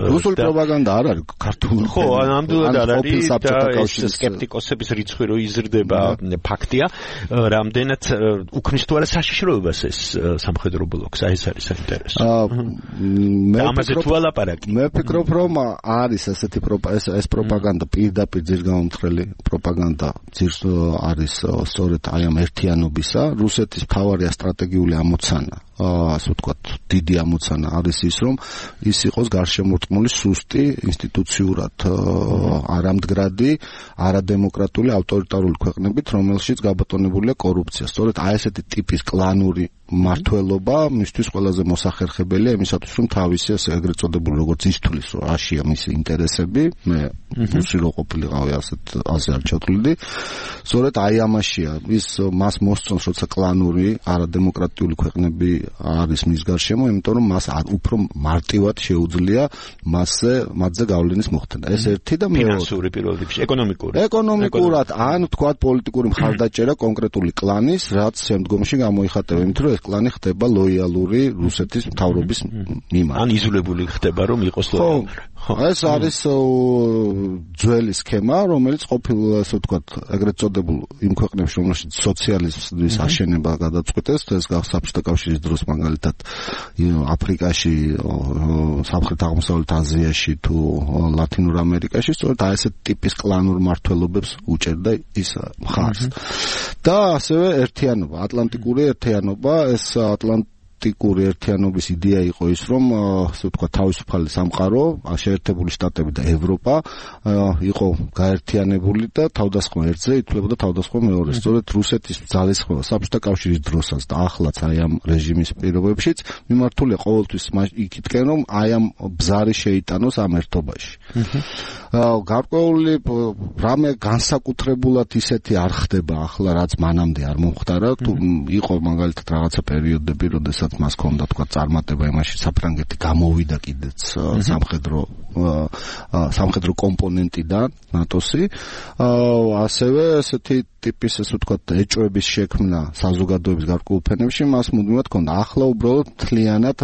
რუსული პროპაგანდა არ არის ქართული. ხო, ნამდვილად არ არის და ეს სკეპტიკოსების რიცხვი რო იზრდება ფაქტია, რამდენად უქმნის თუ არა საშიშროებას ეს სამხედრო ბლოკს, აი ეს არის საინტერესო. მე ამაზე თუ ალაპარაკი. მე ვფიქრობ რომ არის ასეთი ეს პროპაგანდა პირდაპირ ძირგამომთხრელი პროპაგანდა ძირს არის სწორედ აი ამ ერთიანობისა. რუსეთის მთავარი სტრატეგიული ამოცანა, ასე ვთქვათ, დიდი ამოცანა არის ის, რომ ის იყოს გარშემორტყმული სუსტი, ინსტიტუციურად არამდგრადი, არადემოკრატიული, ავტორიტარული ქვეყნებით, რომელშიც გაბატონებულია კორუფცია. სწორედ აი ესეთი ტიპის კლანური მართლობა მისთვის ყველაზე მოსახერხებელია იმისათვის, რომ თავისი ასე ეგრეთ წოდებული როგორც ისთვის, რომ აშია მისი ინტერესები, მე რუსი რო ყოფილიყავი ასეთ ასე არ ჩათვლიდი. სწორედ აი ამაშია ის მას მოსწონს, როცა კლანური, არადემოკრატიული ქვეყნები არის მის გარშემო, იმიტომ რომ მას უფრო მარტივად შეუძლია მასზე მათზე გავლენის მოხდენა. ეს ერთი და მეორე ფინანსური პირველ რიგში, ეკონომიკური. ეკონომიკურად ან თქვათ პოლიტიკური მხარდაჭერა კონკრეტული კლანის, რაც შემდგომში გამოიხატება, იმიტომ რომ ეს კლანი ხდება ლოიალური რუსეთის მთავრობის მიმართ. ან იზოლებული ხდება, რომ იყოს ლოიალური. ეს არის ძველი სქემა, რომელიც ყოფილ ასე ვთქვათ, ეგრეთ წოდებულ იმ ქვეყნებში, რომელშიც სოციალიზმის აშენება გადაწყვეტეს, ეს საბჭოთა კავშირის დროს მაგალითად აფრიკაში, სამხრეთ აღმოსავლეთ აზიაში თუ ლათინურ ამერიკაში, სწორედ აი ესეთ ტიპის კლანურ მართლობებს უჭერდა ის მხარს. და ასევე ერთიანობა, ატლანტიკური ერთიანობა, ეს ატლანტ პოლიტიკური ერთიანობის იდეა იყო ის, რომ ასე ვთქვათ, თავისუფალი სამყარო, შეერთებული შტატები და ევროპა იყო გაერთიანებული და თავდასხმა ერთზე ითვლებოდა თავდასხმა მეორეს. სწორედ რუსეთის ძალისხმევა საბჭოთა კავშირის დროსაც და ახლაც აი ამ რეჟიმის პირობებშიც მიმართულია ყოველთვის იქითკენ, რომ აი ამ ბზარი შეიტანოს ამ ერთობაში. გარკვეული რამე განსაკუთრებულად ისეთი არ ხდება ახლა, რაც მანამდე არ მომხდარა. თუ იყო მაგალითად რაღაცა პერიოდები, როდესაც მას ჰქონდა თქვა წარმატება იმაში, საფრანგეთი გამოვიდა კიდეც სამხედრო სამხედრო კომპონენტიდან ნატოსი. ასევე ესეთი ტიპის ესე ვთქვათ ეჭვების შექმნა საზოგადოების გარკვეულ ფენებში მას მუდმივად ჰქონდა. ახლა უბრალოდ მთლიანად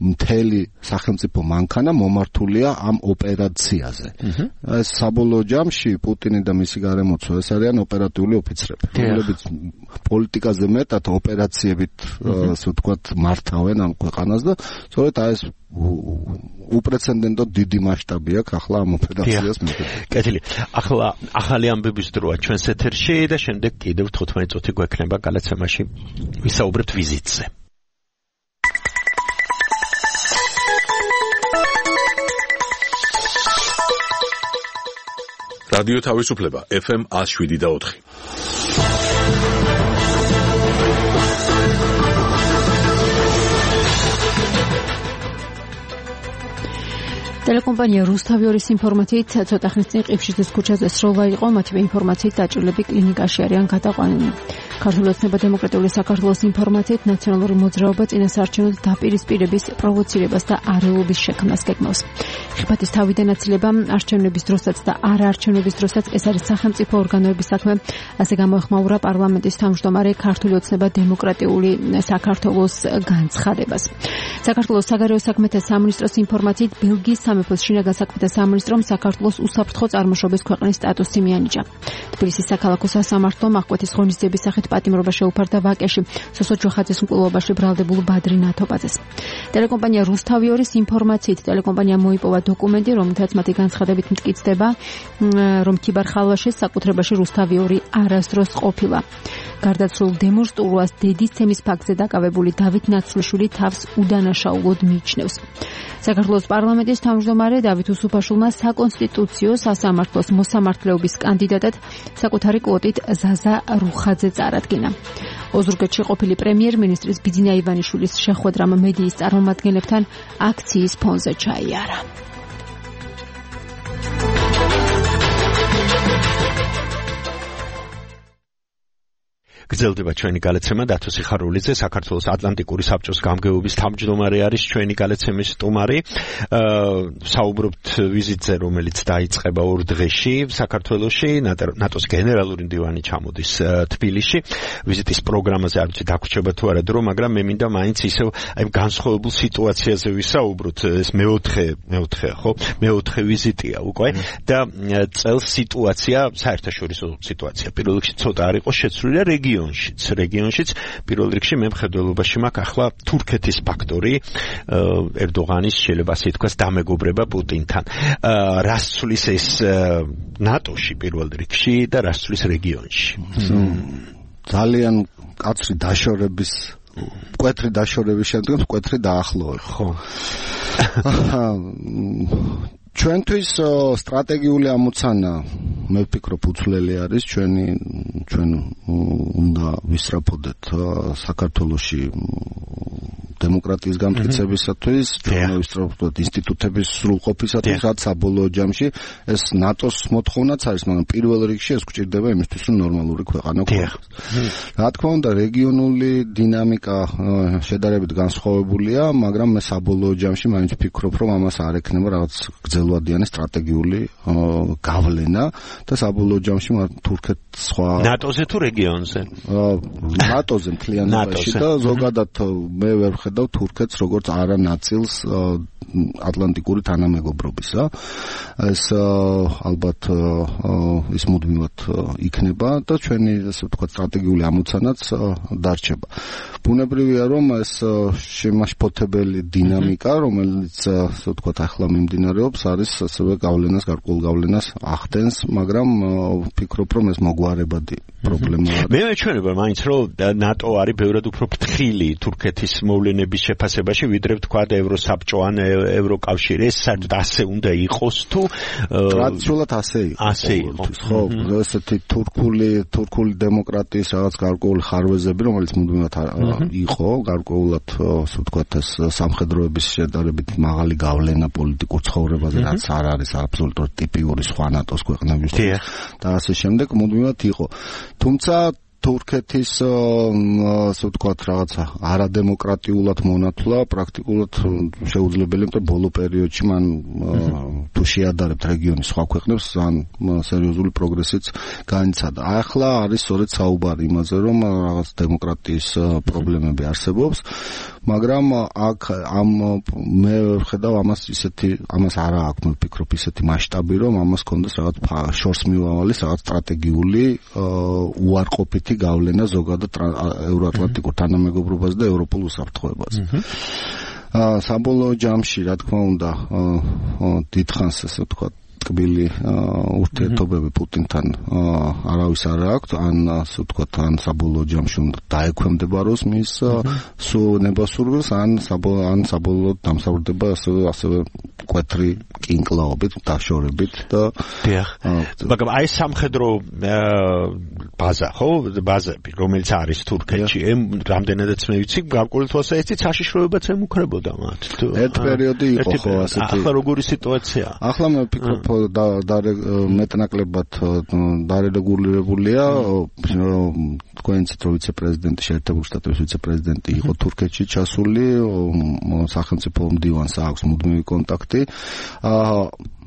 მთელი სახელმწიფო მანქანა მომართულია ამ ოპერაციაზე. ეს საბოლოო ჯამში პუტინი და მისი გარემოცვა ეს არიან ოპერატიული ოფიცრები, რომლებიც პოლიტიკაზე მეტად ოპერაციებით ასე ვთქვათ მართავენ ამ ქვეყანას და სწორედ აი ეს უპრეცედენტო დიდი მასშტაბი აქვს ახლა ამ ოპერაციას მიღება. კეთილი. ახლა ახალი ამბების დროა ჩვენს ეთერში და შემდეგ კიდევ თხუთმეტი წუთი გვექნება გალაცემაში ვისაუბრებთ ვიზიტზე. რადიო თავისუფლება ეფ ემ one oh seven და four. ტელეკომპანია რუსთავიორის ინფორმაციით ცოტა ხნის წინ ყიფშიძის ქუჩაზე სროლა იყო, მათივე ინფორმაციით დაჭრილები კლინიკაში არიან გადაყვანილი. ქართული ოცნება დემოკრატიული საქართველოს ინფორმაციით ნაციონალური მოძრაობა წინასაარჩევნო დაპირისპირების პროვოცირებას და არეულობის შექმნას გეგმავს. ხიფათის თავიდან აცილება არჩევნების დროსაც და არაარჩევნების დროსაც ეს არის სახელმწიფო ორგანოების საქმე, ასე გამოეხმაურა პარლამენტის თავმჯდომარე ქართული ოცნება დემოკრატიული საქართველოს განცხადებას. საქართველოს საგარეო საქმეთა სამინისტროს ინფორმაციით ბელგიის სამეფოს შინაგან საქმეთა სამინისტრომ საქართველოს უსაფრთხო წარმოშობის ქვეყნის სტატუსი მიანიჭა. თბილისის საქალაქო სასამართლომ აღკვეთის ღონისძიების სახით პატიმრობა შეუფარდა ვაკეში სოსო ჯოხაძის მკვლელობაში ბრალდებულ ბადრი ნათობაძეს. ტელეკომპანია რუსთავიორის ინფორმაციით ტელეკომპანია მოიპოვა დოკუმენტი, რომელთაც მათი განცხადებით მტკიცდება, რომ ქიბარ-ხალვაშის საკუთრებაში რუსთავიური არასდროს ყოფილა. გარდაცვლილ დემურ სტურუას დედისცემის ფაქტზე დაკავებული დავით ნაცვლიშვილი თავს უდანაშაულოდ მიიჩნევს. საქართველოს პარლამენტის თავმჯდომარე დავით უსუფაშვილმა საკონსტიტუციო სასამართლოს მოსამართლეობის კანდიდატად საკუთარი კვოტით ზაზა რუხაძე წარადგინა. ოზურგეთში ყოფილი პრემიერ-მინისტრის ბიძინა ივანიშვილის შეხვედრამ მედიის წარმომადგენლებთან აქციის ფონზე ჩაიარა. გრძელდება ჩვენი გალაცემა დათო სიხარულიძე საქართველოს ატლანტიკური საბჭოს გამგეობის თავმჯდომარე არის ჩვენი გალაცემის სტუმარი. საუბრობთ ვიზიტზე, რომელიც დაიწყება ორ დღეში საქართველოში, ნატოს გენერალური მდივანი ჩამოდის თბილისში. ვიზიტის პროგრამაზე არ ვიცი დაგვრჩება თუ არა დრო, მაგრამ მე მინდა მაინც ისევ აი განსხვავებულ სიტუაციაზე ვისაუბროთ. ეს მეოთხე მეოთხე ხო მეოთხე ვიზიტია უკვე და წელს სიტუაცია, საერთაშორისო სიტუაცია პირველ რიგში ცოტა არ იყო შეცვლილი რეგიონში. რეგიონშიც პირველ რიგში მე მხედველობაში მაქვს ახლა თურქეთის ფაქტორი, ერდოღანის შეიძლება ასე ითქვას დამეგობრება პუტინთან. რას ცვლის ეს ნატოში პირველ რიგში და რას ცვლის რეგიონში? ძალიან კაცრი დაშორების მკვეთრი დაშორების შემდგომ მკვეთრი დაახლოება. ხო. ჩვენთვის სტრატეგიული ამოცანა მე ვფიქრობ უცვლელი არის ჩვენი ჩვენ უნდა ვისწრაფოდეთ საქართველოში დემოკრატიის გამტკიცებისათვის, ჩვენ ვისწრაფოდეთ ინსტიტუტების სრულყოფისათვის, რაც საბოლოო ჯამში ეს ნატოს მოთხოვნაც არის, მაგრამ პირველ რიგში ეს გვჭირდება იმისთვის, რომ ნორმალური ქვეყანა გვქონდეს. რა თქმა უნდა, რეგიონული დინამიკა შედარებით განსხვავებულია, მაგრამ მე საბოლოო ჯამში მაინც ვფიქრობ, რომ ამას არ ექნება რაღაც გრძელვადიანი სტრატეგიული გავლენა და საბოლოო ჯამში თურქეთს სხვა ნატოზე თუ რეგიონზე? ნატოზე მთლიანობაში და ზოგადად მე ვერ ვხედავ თურქეთს როგორც არა ნაწილს ატლანტიკური თანამეგობრობისა. ეს ალბათ ის მუდმივად იქნება და ჩვენი ასე ვთქვათ სტრატეგიული ამოცანაც დარჩება. ბუნებრივია რომ ეს შემაშფოთებელი დინამიკა, რომელიც ასე ვთქვათ ახლა მიმდინარეობს, არის ასევე გავლენას, გარკვეულ გავლენას ახდენს, მაგრამ ვფიქრობ რომ ეს მოგვარებადი პრობლემაა. მე მეჩვენება მაინც რომ ნატო არის ბევრად უფრო ფრთხილი თურქეთის მოვლენების შეფასებაში, ვიდრე ვთქვათ ევროსაბჭო ან ევროკავშირი. ეს საერთოდ ასე უნდა იყოს თუ ტრადიციულად ასე იყო. ასე იყო. ხო, ესეთი თურქული თურქული დემოკრატიის რაღაც გარკვეული ხარვეზები, რომელიც მუდმივად იყო, გარკვეულად ასე ვთქვათ ეს სამხედროების შედარებით მაღალი გავლენა პოლიტიკურ ცხოვრებაზე, რაც არ არის აბსოლუტურად ტიპიური სხვა ნატოს ქვეყნებისთვის და ასე შემდეგ მუდმივად იყო. თუმცა თურქეთის ასე ვთქვათ რაღაცა არადემოკრატიულად მონათლა პრაქტიკულად შეუძლებელი, იმიტომ ბოლო პერიოდში მან თუ შეადარებთ რეგიონის სხვა ქვეყნებს ძალიან სერიოზული პროგრესიც განიცადა. ახლა არის სწორედ საუბარი იმაზე, რომ რაღაც დემოკრატიის პრობლემები არსებობს, მაგრამ აქ ამ მე ვხედავ ამას ისეთი ამას არა აქვს, მე ვფიქრობ ისეთი მასშტაბი, რომ ამას კონდეს რაღაც შორს მივავალის რაღაც სტრატეგიული უარყოფითი გავლენა ზოგადად ევროატლანტიკურ თანამეგობრობაზე და ევროპულ უსაფრთხოებაზე. საბოლოო ჯამში, რა თქმა უნდა, დიდხანს ასე ვთქვათ, ტკბილი ურთიერთობები პუტინთან არავის არ აქვს, ან ასე ვთქვათ, ან საბოლოო ჯამში უნდა დაექვემდებაროს მის სუნებასურვილს, ან ან საბოლოოდ დამსავრდება ასევე ასევე კვეთრი კინკლაობით, დაშორებით და დიახ. მაგრამ აი სამხედრო ბაზა, ხო, ბაზები, რომელიც არის თურქეთში, რამდენადაც მე ვიცი, გარკვეული თვალსაჩინო საშიშროებაც ემუქრებოდა მათ. ერთ პერიოდი იყო ხო ასეთი. ახლა როგორი სიტუაციაა? ახლა მე ვფიქრობ და მეტნაკლებად დარეგულირებულია, თქვენიც რო ვიცე-პრეზიდენტი, შეერთებული შტატების ვიცე-პრეზიდენტი იყო თურქეთში ჩასული, სახელმწიფო მდივანს აქვს მუდმივი კონტაქტი.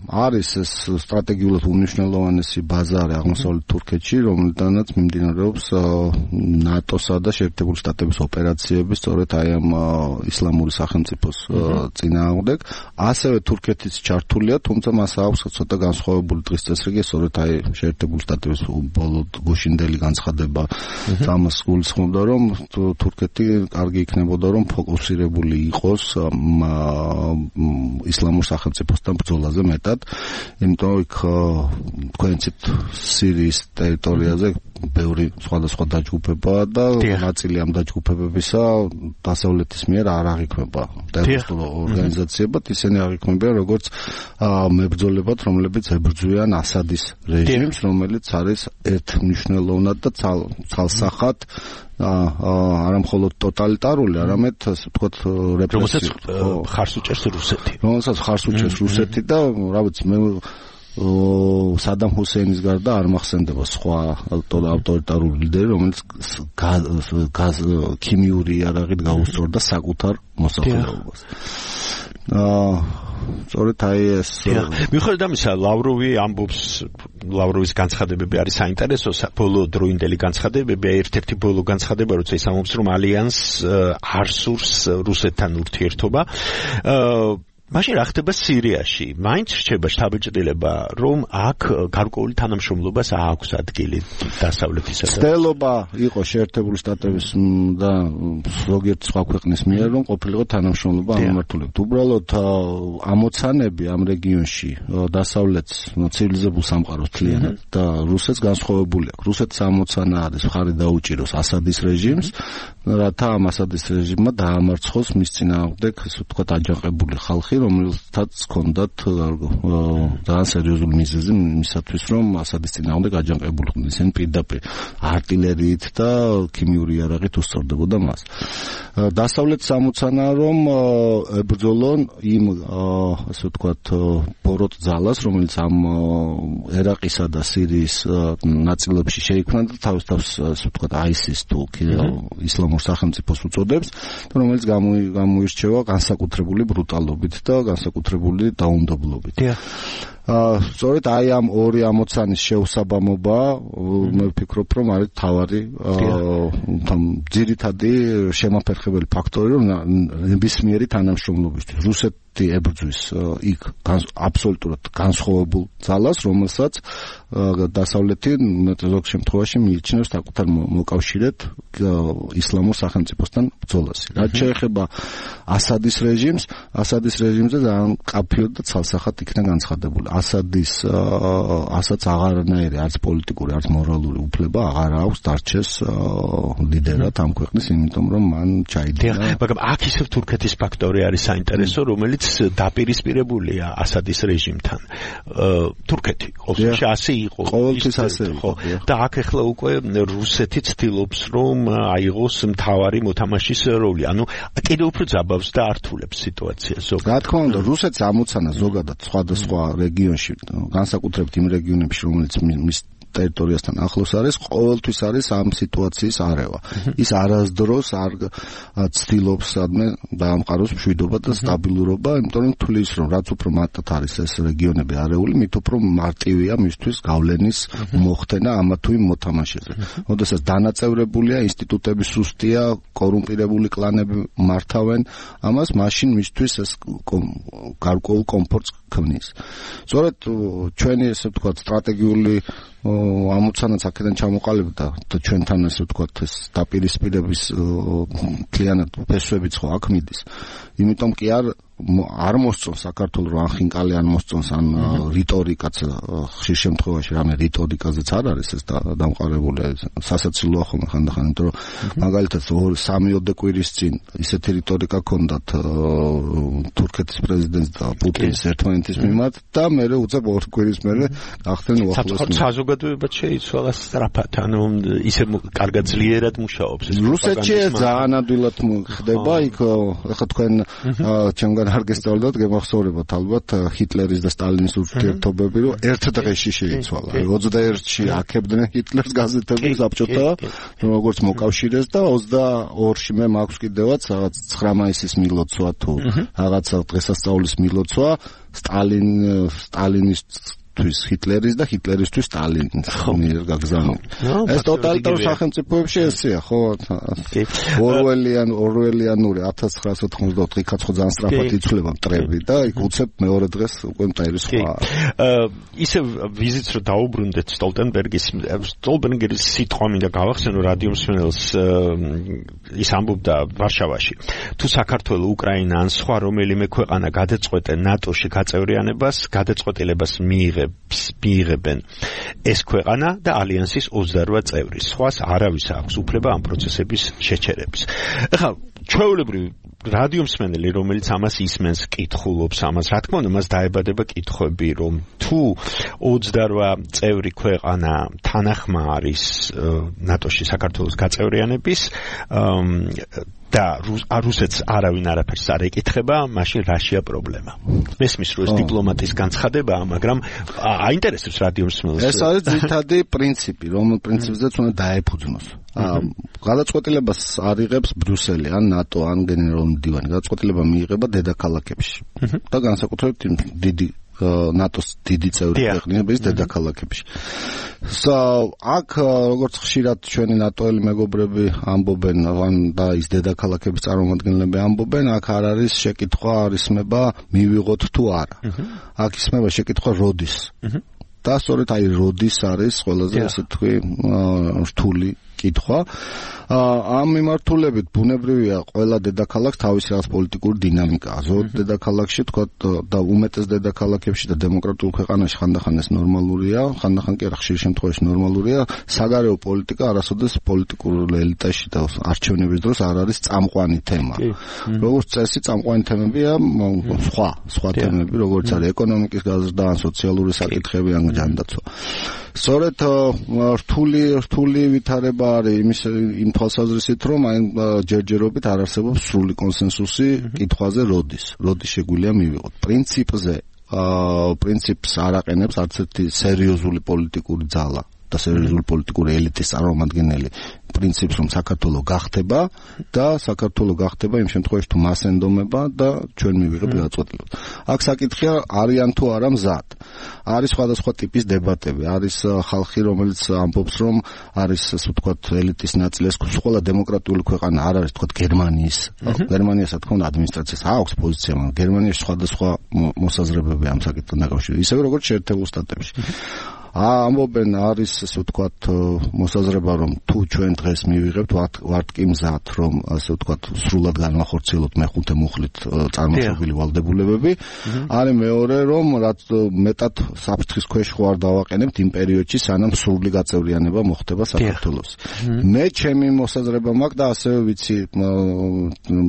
არის ეს სტრატეგიულად უნიშნელოვანესი ბაზარი აღმოსავლეთ თურქეთში, რომელთანაც მიმდინარეობს ნატოსა და შეერთებული შტატების ოპერაციები, სწორედ აი ამ ისლამური სახელმწიფოს წინააღმდეგ. ასევე თურქეთის ჩართულია, თუმცა მას აქვს ცოტა განსხვავებული დღის წესრიგი, სწორედ აი შეერთებული შტატების ბოლო გუშინდელი განცხადება ამას გულისხმობდა, რომ თურქეთი კარგი იქნებოდა, რომ ფოკუსირებული იყოს ისლამურ სახელმწიფოსთან ბრძოლაზე მეტად. იმიტომ იქ თქვენიცით სირიის ტერიტორიაზე ბევრი სხვადასხვა დაჯგუფებაა და ნაწილი ამ დაჯგუფებებისა დასავლეთის მიერ არ აღიქმება ტერორისტულ ორგანიზაციებად, ისინი აღიქმებიან როგორც მებრძოლებად, რომლებიც ებრძვიან ასადის რეჟიმს, რომელიც არის ერთმნიშვნელოვნად და ცალსახად არა მხოლოდ ტოტალიტარული, არამედ ასე ვთქვათ რეპრესიული. რომელსაც ხარს უჭერს რუსეთი. რომელსაც ხარს უჭერს რუსეთი და რა ვიცი მე სადამ ჰუსეინის გარდა არ მახსენდება სხვა ავტორიტარული ლიდერი, რომელიც გაზ ქიმიური იარაღით გაუსწორდა საკუთარ მოსახლეობას. აა სწორედ აი ეს მიუხედავად ამისა, ლავროვი ამბობს, ლავროვის განცხადებები არის საინტერესო, ბოლო დროინდელი განცხადებები, ერთ-ერთი ბოლო განცხადება, როცა ის ამბობს, რომ ალიანს არ სურს რუსეთთან ურთიერთობა. მაშინ რა ხდება სირიაში? მაინც რჩება შთაბეჭდილება, რომ აქ გარკვეული თანამშრომლობას აქვს ადგილი დასავლეთისა და ცდელობა იყო შეერთებული შტატების და ზოგიერთ სხვა ქვეყნის მიერ, რომ ყოფილიყო თანამშრომლობა ამმართულებით. უბრალოდ ამოცანები ამ რეგიონში დასავლეთს ცივილიზებულ სამყაროს თლიანად და რუსეთს განსხვავებული აქვს. რუსეთის ამოცანა არის მხარი დაუჭიროს ასადის რეჟიმს, რათა ამ ასადის რეჟიმმა დაამარცხოს მის წინააღმდეგ, ასე ვთქვათ, აჯანყებული ხალხი, რომელთაც ჰქონდათ ძალიან სერიოზული მიზეზი მისათვის, რომ ასადის წინააღმდეგ აჯანყებულიყვნენ. ისინი პირდაპირ არტილერიით და ქიმიური იარაღით უსწორდებოდა მას. დასავლეთის ამოცანაა, რომ ებრძოლონ იმ ასე ვთქვათ ბოროტ ძალას, რომელიც ამ ერაყისა და სირიის ნაწილებში შეიქმნა და თავის თავს ასე ვთქვათ აისის თუ ისლამურ სახელმწიფოს უწოდებს, რომელიც გამოირჩევა განსაკუთრებული ბრუტალობით და განსაკუთრებული დაუნდობლობით. აა სწორედ აი ამ ორი ამოცანის შეუსაბამობა მე ვფიქრობ, რომ არის თავარი ძირითადი შემაფერხებელი ფაქტორი, რომ ნებისმიერი თანამშრომლობისთვის რუსეთი ებრძვის იქ აბსოლუტურად განსხვავებულ ძალას, რომელსაც დასავლეთი ზოგ შემთხვევაში მიიჩნევს საკუთარ მოკავშირედ ისლამურ სახელმწიფოსთან ბრძოლას. რაც შეეხება ასადის რეჟიმს, ასადის რეჟიმზე ძალიან მკაფიოდ და ცალსახად იქნა განცხადებული. ასადის ასაც აღარანაირი არც პოლიტიკური, არც მორალური უფლება აღარ აქვს დარჩეს ლიდერად ამ ქვეყნის, იმიტომ რომ მან ჩაიდინა. მაგრამ აქ ისევ თურქეთის ფაქტორი არის საინტერესო, რომელიც დაპირისპირებულია ასადის რეჟიმთან. თურქეთი ყოველთვის ასე იყო. ყოველთვის ასე იყო. და აქ ახლა უკვე რუსეთი ცდილობს, რომ აიღოს მთავარი მოთამაშის როლი. ანუ კიდევ უფრო ძაბავს და ართულებს სიტუაციას. რა თქმა უნდა, რუსეთს ამოცანა ზოგადად სხვადასხვა რეგიონში, განსაკუთრებით იმ რეგიონებში, რომელიც მის ტერიტორიასთან ახლოს არის, ყოველთვის არის ამ სიტუაციის არევა. ის არასდროს არ ცდილობს სადმე დაამყაროს მშვიდობა და სტაბილურობა, იმიტომ რომ თulis რომ რაც უფრო მარტად არის ეს რეგიონები არეული, მით უფრო მარტივია მისთვის გავლენის მოხდენა ამა თუ იმ მოთამაშეზე. როდესაც დანაწევრებულია, ინსტიტუტები სუსტია, კორუმპირებული კლანები მართავენ ამას, მაშინ მისთვის ეს გარკვეულ კომფორტს ქმნის. სწორედ ჩვენი ესე ვთქვათ სტრატეგიული ამოცანაც აქედან ჩამოყალიბდა ჩვენთან ესე ვთქვათ ეს დაპირისპირების კლიანად ფესვებიც ხო აქ მიდის. იმიტომ კი არ არ მოსწონს საქართველოს რომ ახინკალი არ მოსწონს ან რიტორიკაც ხშირ შემთხვევაში რამე რიტორიკაზეც არ არის ეს დამყარებული სასაცილოა ხოლმე ხანდახან იმიტომ რომ მაგალითად სამი ოდე კვირის წინ ისეთი რიტორიკა ქონდათ თურქეთის პრეზიდენტს და პუტინის ერთმანეთის მიმართ და მერე უწევ ორ კვირის მერე გახდნენ უახლოესი საზოგადოებაც შეიცვალა სწრაფად ანუ ისე კარგად ძლიერად მუშაობს ეს რუსეთში ძალიან ადვილად ხდება იქ ახლა თქვენ ჩემგან არ გესწავლოთ გემახსოვრებათ ალბათ ჰიტლერის და სტალინის ურთიერთობები რომ ერთ დღეში შეიცვალა ოცდაერთში აქებდნენ ჰიტლერს გაზეთები საბჭოთა როგორც მოკავშირეს და ოცდაორში მე მაქვს კიდევაც რაღაც ცხრა მაისის მილოცვა თუ რაღაცა დღესასწაულის მილოცვა სტალინ სტალინის თვის ჰიტლერის და ჰიტლერისთვის სტალინის მიერ გაგზავნილი. ეს ტოტალიტარ სახელმწიფოებში ესეა, ხო? ორველიან ორველიანური ათას ცხრაასი ოთხმოცდაოთხი იქაც ხო ძალიან სწრაფად იცვლება მტრები და იქ უცებ მეორე დღეს უკვე მტერი სხვა. ისე ვიზიტს რო დაუბრუნდეთ სტოლტენბერგის სტოლტენბერგის სიტყვა მინდა გავახსენო რადიო მსმენელს ის ამბობდა ვარშავაში. თუ საქართველო, უკრაინა ან სხვა რომელიმე ქვეყანა გადაწყვეტენ ნატოში გაწევრიანებას, გადაწყვეტილებას მიიღებს მიიღებენ ეს ქვეყანა და ალიანსის ოცდარვა წევრი. სხვას არავის აქვს უფლება ამ პროცესების შეჩერების. ეხლა ჩვეულებრივ რადიო მსმენელი რომელიც ამას ისმენს, კითხულობს ამას, რა თქმა უნდა მას დაებადება კითხვები, რომ თუ ოცდარვა წევრი ქვეყანა თანახმა არის ნატოში საქართველოს გაწევრიანების და რუსეთს არავინ არაფერს არ ეკითხება, მაშინ რაშია პრობლემა? მესმის რომ ეს დიპლომატის განცხადებაა, მაგრამ აინტერესებს რადიო მსმენელს. ეს არის ძირითადი პრინციპი, რომ პრინციპზეც უნდა დაეფუძნოს. გადაწყვეტილებას არიღებს ბრიუსელი ან ნატო ან გენერალური მდივანი. გადაწყვეტილება მიიღება დედაქალაქებში და განსაკუთრებით დიდი ნატოს დიდი წევრი ქვეყნების დედაქალაქებში. აქ როგორც ხშირად ჩვენი ნატოელი მეგობრები ამბობენ, და ის დედაქალაქების წარმომადგენლები ამბობენ, აქ არ არის შეკითხვა, არ ისმება მივიღოთ თუ არა. აქ ისმება შეკითხვა როდის. და სწორედ აი როდის არის ყველაზე ასე თქვი რთული კითხვა. ამ მიმართულებით ბუნებრივია ყველა დედაქალაქს თავისი რაღაც პოლიტიკური დინამიკაა. ზოგ დედაქალაქში თქვა და უმეტეს დედაქალაქებში და დემოკრატიულ ქვეყანაში ხანდახან ეს ნორმალურია, ხანდახან კი არა, ხშირ შემთხვევაში ნორმალურია. საგარეო პოლიტიკა არასოდეს პოლიტიკურ ელიტაში და არჩევნების დროს არ არის წამყვანი თემა. როგორც წესი წამყვანი თემებია სხვა, სხვა თემები, როგორც არის ეკონომიკის გაზრდა, სოციალური საკითხები ან ჯანდაცვა. სწორედ რთული რთული ვითარება არის იმის იმ თვალსაზრისით, რომ აი ჯერჯერობით არ არსებობს სრული კონსენსუსი კითხვაზე როდის, როდის შეგვიძლია მივიღოთ. პრინციპზე პრინციპს არ აყენებს არც ერთი სერიოზული პოლიტიკური ძალა და სერიოზული პოლიტიკური ელიტის წარმომადგენელი პრინციპს, რომ საქართველო გახდება და საქართველო გახდება იმ შემთხვევაში თუ მას ენდომება და ჩვენ მივიღებთ გადაწყვეტილებას. აქ საკითხია არიან თუ არა მზად. არის სხვადასხვა ტიპის დებატები, არის ხალხი, რომელიც ამბობს, რომ არის ასე ვთქვათ ელიტის ნაწილი, ეს ყველა დემოკრატიული ქვეყანა არ არის ვთქვათ გერმანიის. გერმანიას რა თქმა უნდა ადმინისტრაციას აქვს პოზიცია, მაგრამ გერმანიაში სხვადასხვა მოსაზრებები ამ საკითხთან დაკავშირებით, ისევე როგორც შეერთებულ შტატებში. ამბობენ არის ასე ვთქვათ მოსაზრება, რომ თუ ჩვენ დღეს მივიღებთ ვართ კი მზად, რომ ასე ვთქვათ სრულად განვახორციელოთ მეხუთე მუხლით წარმოშობილი ვალდებულებები. არის მეორე, რომ რაც მეტად საფრთხის ქვეშ ხო არ დავაყენებთ იმ პერიოდში, სანამ სრული გაწევრიანება მოხდება საქართველოს. მე ჩემი მოსაზრება მაქვს და ასევე ვიცი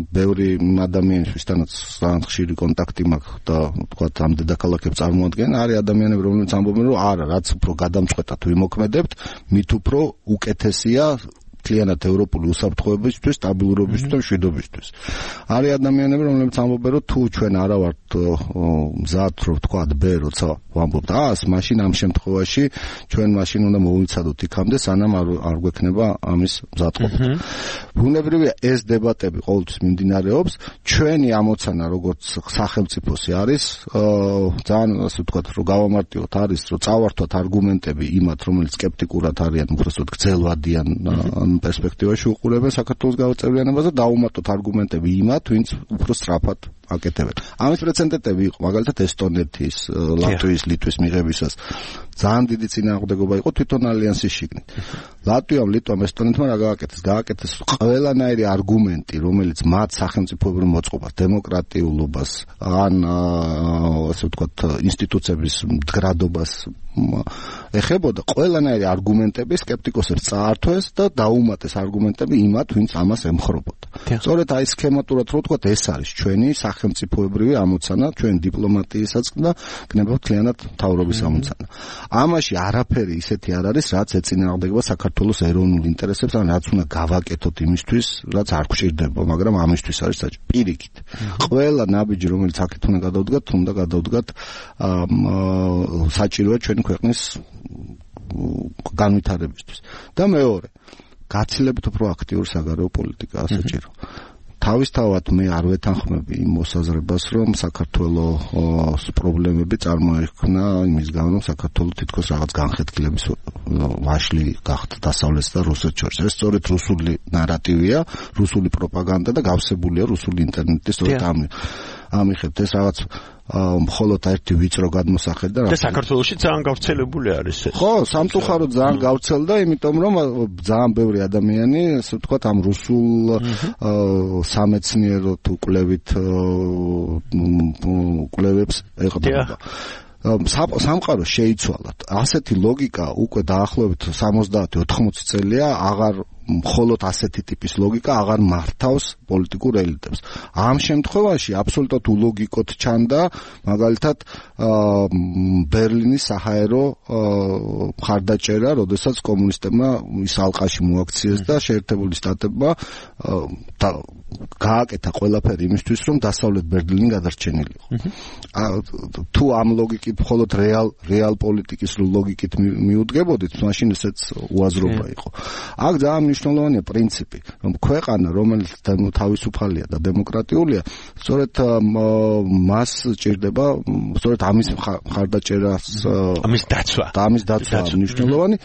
ბევრი ადამიანის ვისთანაც ძალიან ხშირი კონტაქტი მაქვს და ვთქვათ ამ დედაქალაქებს წარმოადგენენ, არის ადამიანები, რომლებიც ამბობენ, რომ არა, რაც უფრო გადამწყვეტად ვიმოქმედებთ, მით უფრო უკეთესია მთლიანად ევროპული უსაფრთხოებისთვის, სტაბილურობისთვის და მშვიდობისთვის. არის ადამიანები, რომლებიც ამბობენ, რომ თუ ჩვენ არა ვართ მზად, რომ ვთქვათ ბ, როცა ვამბობთ ას, მაშინ ამ შემთხვევაში ჩვენ მაშინ უნდა მოვიცადოთ იქამდე, სანამ არ გვექნება ამის მზადყოფა. ბუნებრივია ეს დებატები ყოველთვის მიმდინარეობს. ჩვენი ამოცანა როგორც სახელმწიფოსი არის ძალიან ასე ვთქვათ, რომ გავამარტივოთ, არის რომ წავართვათ არგუმენტები იმათ, რომელიც სკეპტიკურად არიან, უბრალოდ გრძელვადიან პერსპექტივაში უყურებენ საქართველოს გაწევრიანებას და დაუმატოთ არგუმენტები იმათ, ვინც უფრო სწრაფად აკეთებენ. ამის პრეცედენტები იყო მაგალითად ესტონეთის, ლატვიის, ლიტვის მიღებისას ძალიან დიდი წინააღმდეგობა იყო თვითონ ალიანსის შიგნით. ლატვიამ, ლიტვამ, ესტონეთმა რა გააკეთეს? გააკეთეს ყველანაირი არგუმენტი, რომელიც მათ სახელმწიფოებრივ მოწყობას, დემოკრატიულობას, ან ასე ვთქვათ, ინსტიტუციების მდგრადობას ეხებოდა, ყველანაირი არგუმენტები სკეპტიკოსებს წაართვეს და დაუმატეს არგუმენტები იმათ, ვინც ამას ემხრობოდა. სწორედ აი სქემატურად რო ვთქვათ, ეს არის ჩვენი სახელმწიფოებრივი ამოცანა, ჩვენ დიპლომატიისაც და გნებავთ მთლიანად მთავრობის ამოცანა. ამაში არაფერი ისეთი არ არის, რაც ეწინააღმდეგება საქართველოს ეროვნულ ინტერესებს, ან რაც უნდა გავაკეთოთ იმისთვის, რაც არ გვჭირდება, მაგრამ ამისთვის არის საჭირო. პირიქით. ყველა ნაბიჯი, რომელიც აქეთ უნდა გადავდგათ, უნდა გადავდგათ საჭიროა ჩვენი ქვეყნის განვითარებისთვის. და მეორე, გაცილებით უფრო აქტიური საგარეო პოლიტიკაა საჭირო. თავისთავად მე არ ვეთანხმები იმ მოსაზრებას, რომ საქართველოს პრობლემები წარმოიქმნა იმის გამო, რომ საქართველო თითქოს რაღაც განხეთქილების ვაშლი გახდა დასავლეთს და რუსეთს შორის. ეს სწორედ რუსული ნარატივია, რუსული პროპაგანდა და გავსებულია რუსული ინტერნეტის სწორედ ამ ამიხებთ ეს რაღაც მხოლოდ ერთი ვიწრო გადმოსახედი და და საქართველოში ძალიან გავრცელებული არის ეს. ხო, სამწუხაროდ ძალიან გავრცელდა, იმიტომ რომ ძალიან ბევრი ადამიანი, ასე ვთქვათ, ამ რუსულ სამეცნიერო თუ კვლევით კვლევებს ეყრდნობა. სამყარო შეიცვალა. ასეთი ლოგიკა უკვე დაახლოებით სამოცდაათი ოთხმოცი წელია აღარ მხოლოდ ასეთი ტიპის ლოგიკა აღარ მართავს პოლიტიკურ ელიტებს. ამ შემთხვევაში აბსოლუტურად ულოგიკოდ ჩანდა მაგალითად ბერლინის საჰაერო მხარდაჭერა, როდესაც კომუნისტებმა ის ალყაში მოაქციეს და შეერთებული შტატებმა გააკეთა ყველაფერი იმისთვის, რომ დასავლეთ ბერლინი გადარჩენილიყო. თუ ამ ლოგიკით მხოლოდ რეალ რეალ პოლიტიკის ლოგიკით მიუდგებოდით, მაშინ ესეც უაზრობა იყო. აქ ძალიან მნიშვნელოვანია პრინციპი, რომ ქვეყანა, რომელიც თავისუფალია და დემოკრატიულია, სწორედ მას ჭირდება, სწორედ ამის მხარდაჭერას, ამის დაცვა. და ამის დაცვა მნიშვნელოვანი.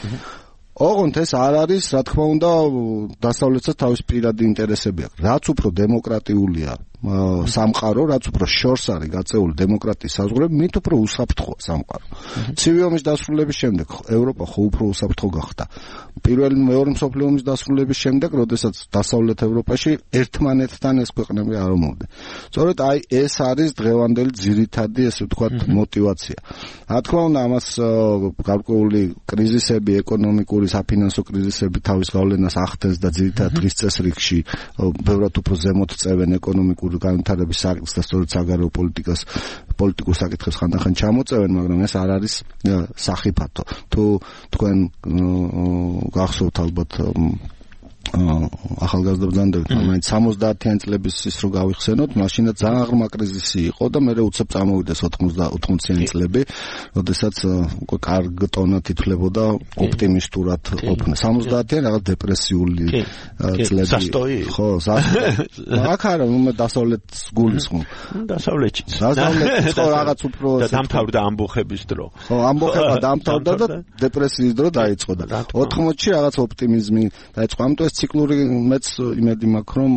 ოღონდ ეს არ არის, რა თქმა უნდა, დასავლეთსაც თავის პირადი ინტერესები აქვს. რაც უფრო დემოკრატიულია სამყარო, რაც უფრო შორს არის გაწეული დემოკრატიის საზღვრები, მით უფრო უსაფრთხოა სამყარო. ცივი ომის დასრულების შემდეგ ევროპა ხო უფრო უსაფრთხო გახდა. პირველი მეორე მსოფლიო ომის დასრულების შემდეგ, როდესაც დასავლეთ ევროპაში ერთმანეთთან ეს ქვეყნები არ ომობდნენ. სწორედ აი ეს არის დღევანდელი ძირითადი, ესე ვთქვათ, мотиваცია. რა თქმა უნდა, ამას გარკვეული კრიზისები, ეკონომიკური, საფინანსო კრიზისები თავის გავლენას ახდენს და ძირითადად დღის წესრიგში ბევრად უფრო ზემოთ წევენ ეკონომიკურ განვითარების საკითხს და სწორედ საგარეო პოლიტიკას პოლიტიკურ საკითხებს ხანდახან ჩამოწევენ, მაგრამ ეს არ არის სახიფათო. თუ თქვენ გახსოვთ ალბათ ახალგაზრდა ბრძანდებით, მაინც სამოცდაათიან წლების ის რო გავიხსენოთ, მაშინაც ძალიან ღრმა კრიზისი იყო და მე უცებ წამოვიდეს ოცდაათიანი წლები, როდესაც უკვე კარგ ტონად ითვლებოდა ოპტიმისტურად ყოფნა. სამოცდაათიანი რაღაც დეპრესიული წლები. სასტოი. ხო, სასტოი. აქ არა, მე დასავლეთს გულისხმობ. დასავლეთში. დასავლეთში ხო რაღაც უფრო და დამთავრდა ამბოხების დრო. ხო, ამბოხება დამთავრდა და დეპრესიის დრო დაიწყო და ოთხმოცში რაღაც ოპტიმიზმი დაიწყო. ამიტომ ციკლური მეც იმედი მაქვს, რომ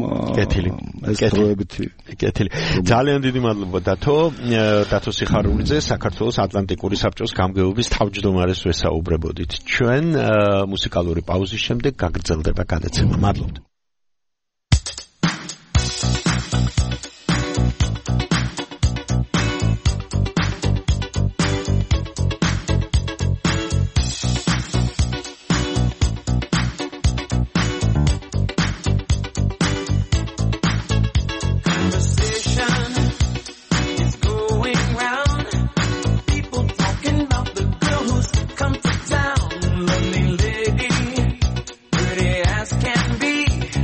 ეს დროებითი კეთილი. ძალიან დიდი მადლობა დათო, დათო სიხარულიძე, საქართველოს ატლანტიკური საბჭოს გამგეობის თავმჯდომარეს ვესაუბრებოდით. ჩვენ მუსიკალური პაუზის შემდეგ გაგრძელდება გადაცემა. მადლობთ. Can be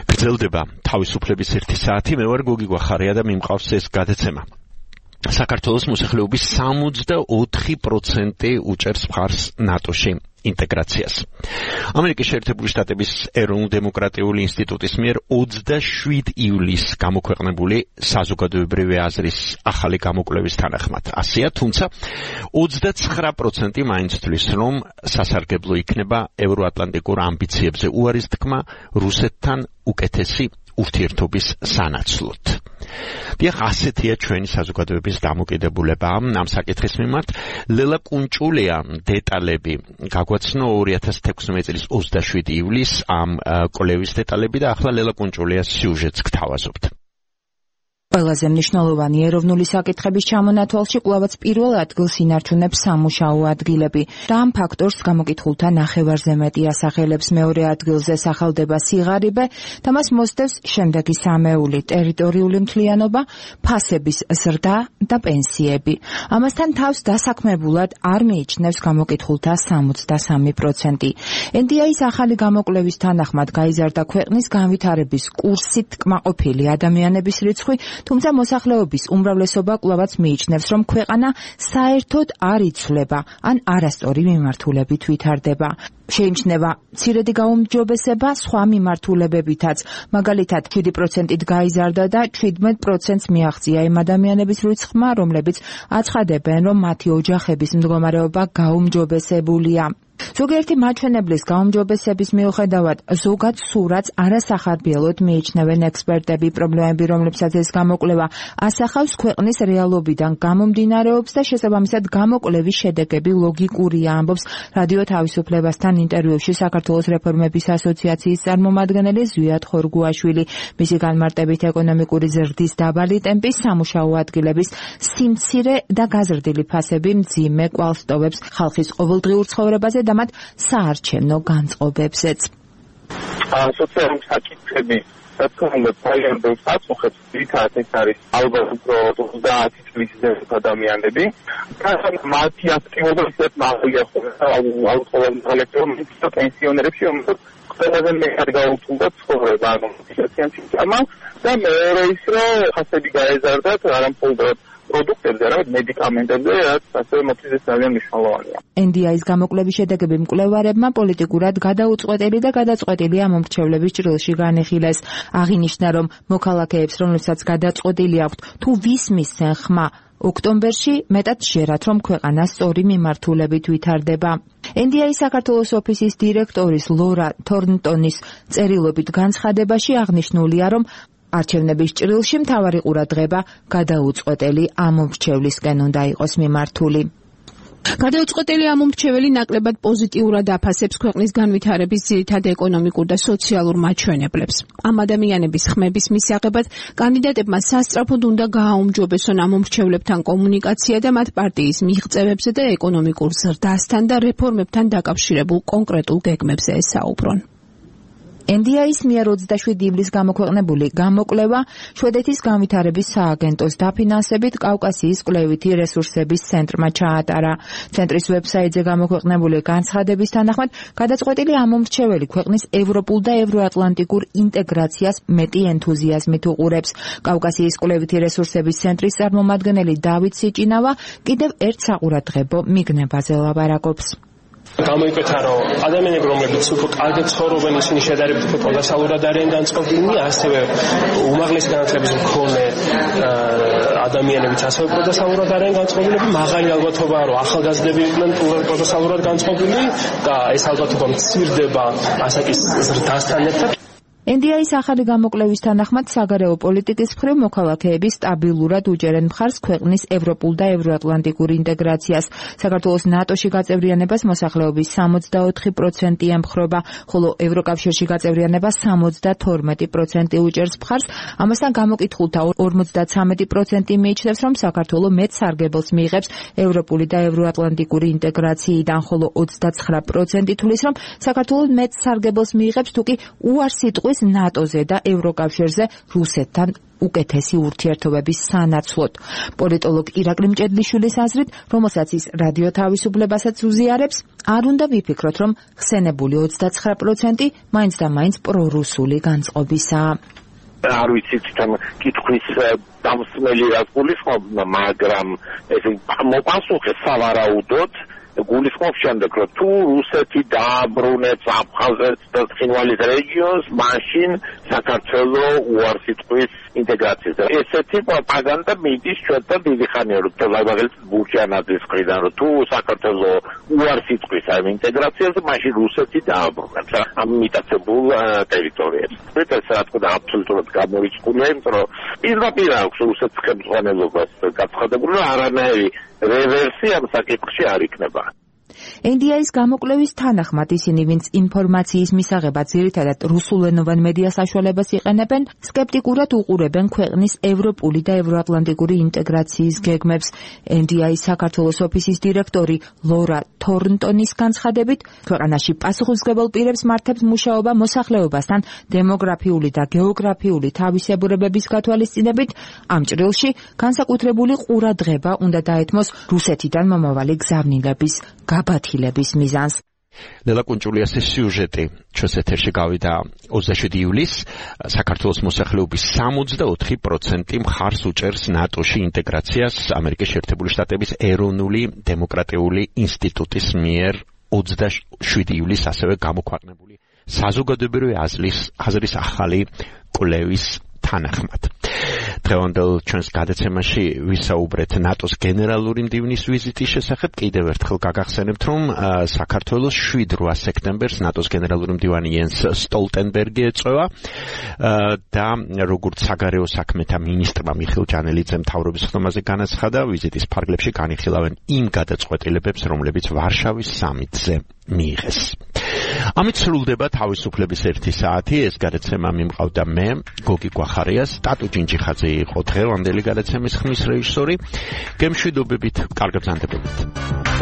გრძელდება თავისუფლების ერთი საათი. მე ვარ გოგი გვახარია და მიმყავს ეს გადაცემა. საქართველოს მოსახლეობის სამოცდაოთხი პროცენტი უჭერს მხარს ნატოში ინტეგრაციას. ამერიკის შეერთებული შტატების ეროვნულ-დემოკრატიული ინსტიტუტის მიერ ოცდაშვიდი ივლისს გამოქვეყნებული საზოგადოებრივი აზრის ახალი გამოკვლევის თანახმად ასეა, თუმცა ოცდაცხრა პროცენტი მაინც თვლის, რომ სასარგებლო იქნება ევროატლანტიკურ ამბიციებზე უარის თქმა რუსეთთან უკეთესი ურთიერთობის სანაცვლოდ. დიახ, ასეთია ჩვენი საზოგადოების დამოკიდებულება ამ საკითხის მიმართ. ლელა კუნჭულია დეტალები გაგვაცნო ორი ათას თექვსმეტი წლის ოცდაშვიდი ივლისს ამ კვლევის დეტალები და ახლა ლელა კუნჭულიას სიუჟეტს გთავაზობთ. ყველაზე მნიშვნელოვანი ეროვნული საკითხების ჩამონათვალში კვლავაც პირველ ადგილს ინარჩუნებს სამუშაო ადგილები. და ამ ფაქტორს გამოკითხულთა ნახევარზე მეტი ასახელებს. მეორე ადგილზე სახელდება სიღარიბე და მას მოსდევს შემდეგი სამეული: ტერიტორიული მთლიანობა, ფასების ზრდა და პენსიები. ამასთან თავს დასაქმებულად არ მიიჩნევს გამოკითხულთა სამოცდასამი პროცენტი. ენ დი ეის ახალი გამოკვლევის თანახმად გაიზარდა ქვეყნის განვითარების კურსით კმაყოფილი ადამიანების რიცხვი, თუმცა მოსახლეობის უმრავლესობა კვლავაც მიიჩნევს, რომ ქვეყანა საერთოდ არ იცვლება, ან არასწორი მიმართულებით ვითარდება. შეიმჩნევა მცირედი გაუმჯობესება სხვა მიმართულებებითაც, მაგალითად შვიდი პროცენტით გაიზარდა და შვიდმეტ პროცენტს მიაღწია იმ ადამიანების რიცხვმა, რომლებიც აცხადებენ, რომ მათი ოჯახების მდგომარეობა გაუმჯობესებულია. ზოგიერთი მაჩვენებლის გაუმჯობესების მიუხედავად ზოგად სურათს არასახარბიელოდ მიიჩნევენ ექსპერტები. პრობლემები, რომლებსაც ეს გამოკვლევა ასახავს, ქვეყნის რეალობიდან გამომდინარეობს და შესაბამისად გამოკვლევის შედეგები ლოგიკურია, ამბობს რადიო თავისუფლებასთან ინტერვიუში საქართველოს რეფორმების ასოციაციის წარმომადგენელი ზვიად ხორგუაშვილი. მისი განმარტებით ეკონომიკური ზრდის დაბალი ტემპი, სამუშაო ადგილების სიმცირე და გაზრდილი ფასები მძიმე კვალს ტოვებს ხალხის ყოველდღიურ ცხოვრებაზე და მათ საარჩევნო განწყობებზეც. სოციალური საკითხები რა თქმა უნდა პრობლემებს აწუხებს, თითქოს ეს არის ალბათ უფრო ოცდაათი წლის ზემოთ ადამიანები. თუმცა მათი აქტივობა ისეთ მაღალია ალბათ პენსიონერებში, რომელსაც ყველაზე მეტად გაუწევდა ცხოვრება, ანუ სოციალიზაცია და მეორე ის რომ ფასები გაეზარდათ არამხოლოდ პროდუქტებზე, არამედ მედიკამენტებზე, რაც ასევე მოთხოვდეს ძალიან მნიშვნელოვანია. ენ დი ეის გამოკვლევის შედეგები მკვლევარებმა პოლიტიკურად გადაუწყვეტელი და გადაწყვეტილი ამომრჩევლების ჭრილში განეხილეს. აღინიშნა, რომ მოქალაქეებს, რომლებსაც გადაწყვეტილი აქვთ თუ ვის მისცენ ხმა, ოქტომბერში მეტად ჟერათ, რომ ქვეყანა სწორი მიმართულებით ვითარდება. ენ დი ეის საქართველოს ოფისის დირექტორის ლორა თორნტონის წერილობით განცხადებაში აღნიშნულია, რომ არჩევნების ჭრილში მთავარი ყურადღება გადაუწყვეტელი ამომრჩევლისკენ უნდა იყოს მიმართული. გადაუწყვეტელი ამომრჩეველი ნაკლებად პოზიტიურად აფასებს ქვეყნის განვითარების ძირითად ეკონომიკურ და სოციალურ მაჩვენებლებს. ამ ადამიანების ხმების მისაღებად კანდიდატებმა სასწრაფოდ უნდა გააუმჯობესონ ამომრჩევლებთან კომუნიკაცია და მათ პარტიის მიღწევებზე და ეკონომიკურ ზრდასთან და რეფორმებთან დაკავშირებულ კონკრეტულ გეგმებზე ესაუბრონ. ენ დი ეის მიერ ოცდაშვიდი ივლისს გამოქვეყნებული გამოკვლევა შვედეთის განვითარების სააგენტოს დაფინანსებით კავკასიის კვლევითი რესურსების ცენტრმა ჩაატარა. ცენტრის ვებსაიტზე გამოქვეყნებული განცხადების თანახმად, გადაწყვეტილი ამომრჩეველი ქვეყნის ევროპულ და ევროატლანტიკურ ინტეგრაციას მეტი ენთუზიაზმით უყურებს. კავკასიის კვლევითი რესურსების ცენტრის წარმომადგენელი დავით სიჭინავა კიდევ ერთ საყურადღებო მიგნებაზე ლაპარაკობს. გამოიკვეთა, რომ ადამიანები, რომლებიც უფრო კარგად ცხოვრობენ, ისინი შედარებით უფრო პროდუქტიულად არიან განწყობილნი, ასევე უმაღლესი განათლების მქონე ადამიანებიც ასევე პროდუქტიულად არიან განწყობილები, მაღალი ალბათობაა, რომ ახალგაზრდები იყვნენ პროდუქტიულად განწყობილი და ეს ალბათობა მცირდება ასაკის ზრდასთან ერთად. ენ დი ეის ახალი გამოკვლევის თანახმად საგარეო პოლიტიკის მხრივ მოქალაქეები სტაბილურად უჭერენ მხარს ქვეყნის ევროპულ და ევროატლანტიკურ ინტეგრაციას. საქართველოს ნატოში გაწევრიანებას მოსახლეობის სამოცდაოთხი პროცენტი ემხრობა, ხოლო ევროკავშირში გაწევრიანებას სამოცდათორმეტი პროცენტი უჭერს მხარს. ამასთან გამოკითხულთა ორმოცდაცამეტი პროცენტი მიიჩნევს, რომ საქართველო მეტ სარგებელს მიიღებს ევროპული და ევროატლანტიკური ინტეგრაციიდან, ხოლო ოცდაცხრა პროცენტი თვლის, რომ საქართველო მეტ სარგებელს მიიღებს, თუკი უარს იტყვის მიიღეს ნატოზე და ევროკავშირზე რუსეთთან უკეთესი ურთიერთობების სანაცვლოდ. პოლიტოლოგ ირაკლი მჭედლიშვილის აზრით, რომელსაც ის რადიო თავისუფლებასაც უზიარებს, არ უნდა ვიფიქროთ, რომ ხსენებული ოცდაცხრა პროცენტი მაინც და მაინც პრორუსული განწყობისაა. არ ვიცით თან კითხვის დამსმელი რაც გულისხმობ, მაგრამ ეს მოპასუხე სავარაუდოდ გულისხმობ შემდეგ, რომ თუ რუსეთი დააბრუნებს აფხაზეთს და ცხინვალის რეგიონს, მაშინ საქართველოს უარს იტყვის ინტეგრაციას. ესეთი პროპაგანდა მიდის ჩვენთან დიდი ხანია, რომ მაგალითად ბურჯანაძის მხრიდან, რომ თუ საქართველოს უარს იტყვის ამ ინტეგრაციას, მაშინ რუსეთი დააბრუნებს ამ მიტაცებულ ტერიტორიებს. ეს რა თქმა უნდა აბსოლუტურად გამორიცხულია, იმიტომ რომ პირდაპირ აქვს რუსეთის ხელმძღვანელობას გაცხადებული, რომ არანაირი რევერსია ამ საკითხში არ იქნება. ენ დი ეის გამოკვლევის თანახმად ისინი, ვინც ინფორმაციის მისაღებად ძირითადად რუსულენოვან მედია საშუალებას იყენებენ, სკეპტიკურად უყურებენ ქვეყნის ევროპული და ევროატლანტიკური ინტეგრაციის გეგმებს. ენ დი ეის საქართველოს ოფისის დირექტორი ლორა თორნტონის განცხადებით, ქვეყანაში პასუხისმგებელ პირებს მართებს მუშაობა მოსახლეობასთან დემოგრაფიული და გეოგრაფიული თავისებურებების გათვალისწინებით, ამ ჭრილში განსაკუთრებული ყურადღება უნდა დაეთმოს რუსეთიდან მომავალი გზავნილების გაბათილების მიზანს. ნელა კუნჭულიასის სიუჟეტი ჩვენს ეთერში გავიდა ოცდაშვიდი ივლისს. საქართველოს მოსახლეობის სამოცდაოთხი პროცენტი მხარს უჭერს ნატოში ინტეგრაციას ამერიკის შეერთებული შტატების ეროვნული დემოკრატიული ინსტიტუტის მიერ ოცდაშვიდი ივლისს ასევე გამოქვეყნებული საზოგადოებრივი აზრის აზრის ახალი კვლევის თანახმად. დღევანდელ ჩვენს გადაცემაში ვისაუბრეთ ნატოს გენერალური მდივნის ვიზიტის შესახებ. კიდევ ერთხელ გაგახსენებთ, რომ საქართველოს შვიდ რვა სექტემბერს ნატოს გენერალური მდივანი იენს სტოლტენბერგი ეწევა და როგორც საგარეო საქმეთა მინისტრმა მიხეილ ჯანელიძემ მთავრობის ხდომაზე განაცხადა, ვიზიტის ფარგლებში განიხილავენ იმ გადაწყვეტილებებს, რომლებიც ვარშავის სამიტზე მიიღეს. ამით სრულდება თავისუფლების ერთი საათი. ეს გადაცემა მიმყავდა მე, გოგი გვახარიას, ტატო ჯინჯიხაძე იყო დღევანდელი გადაცემის ხმის რეჟისორი. გემშვიდობებით, კარგ ბრძანდებებით.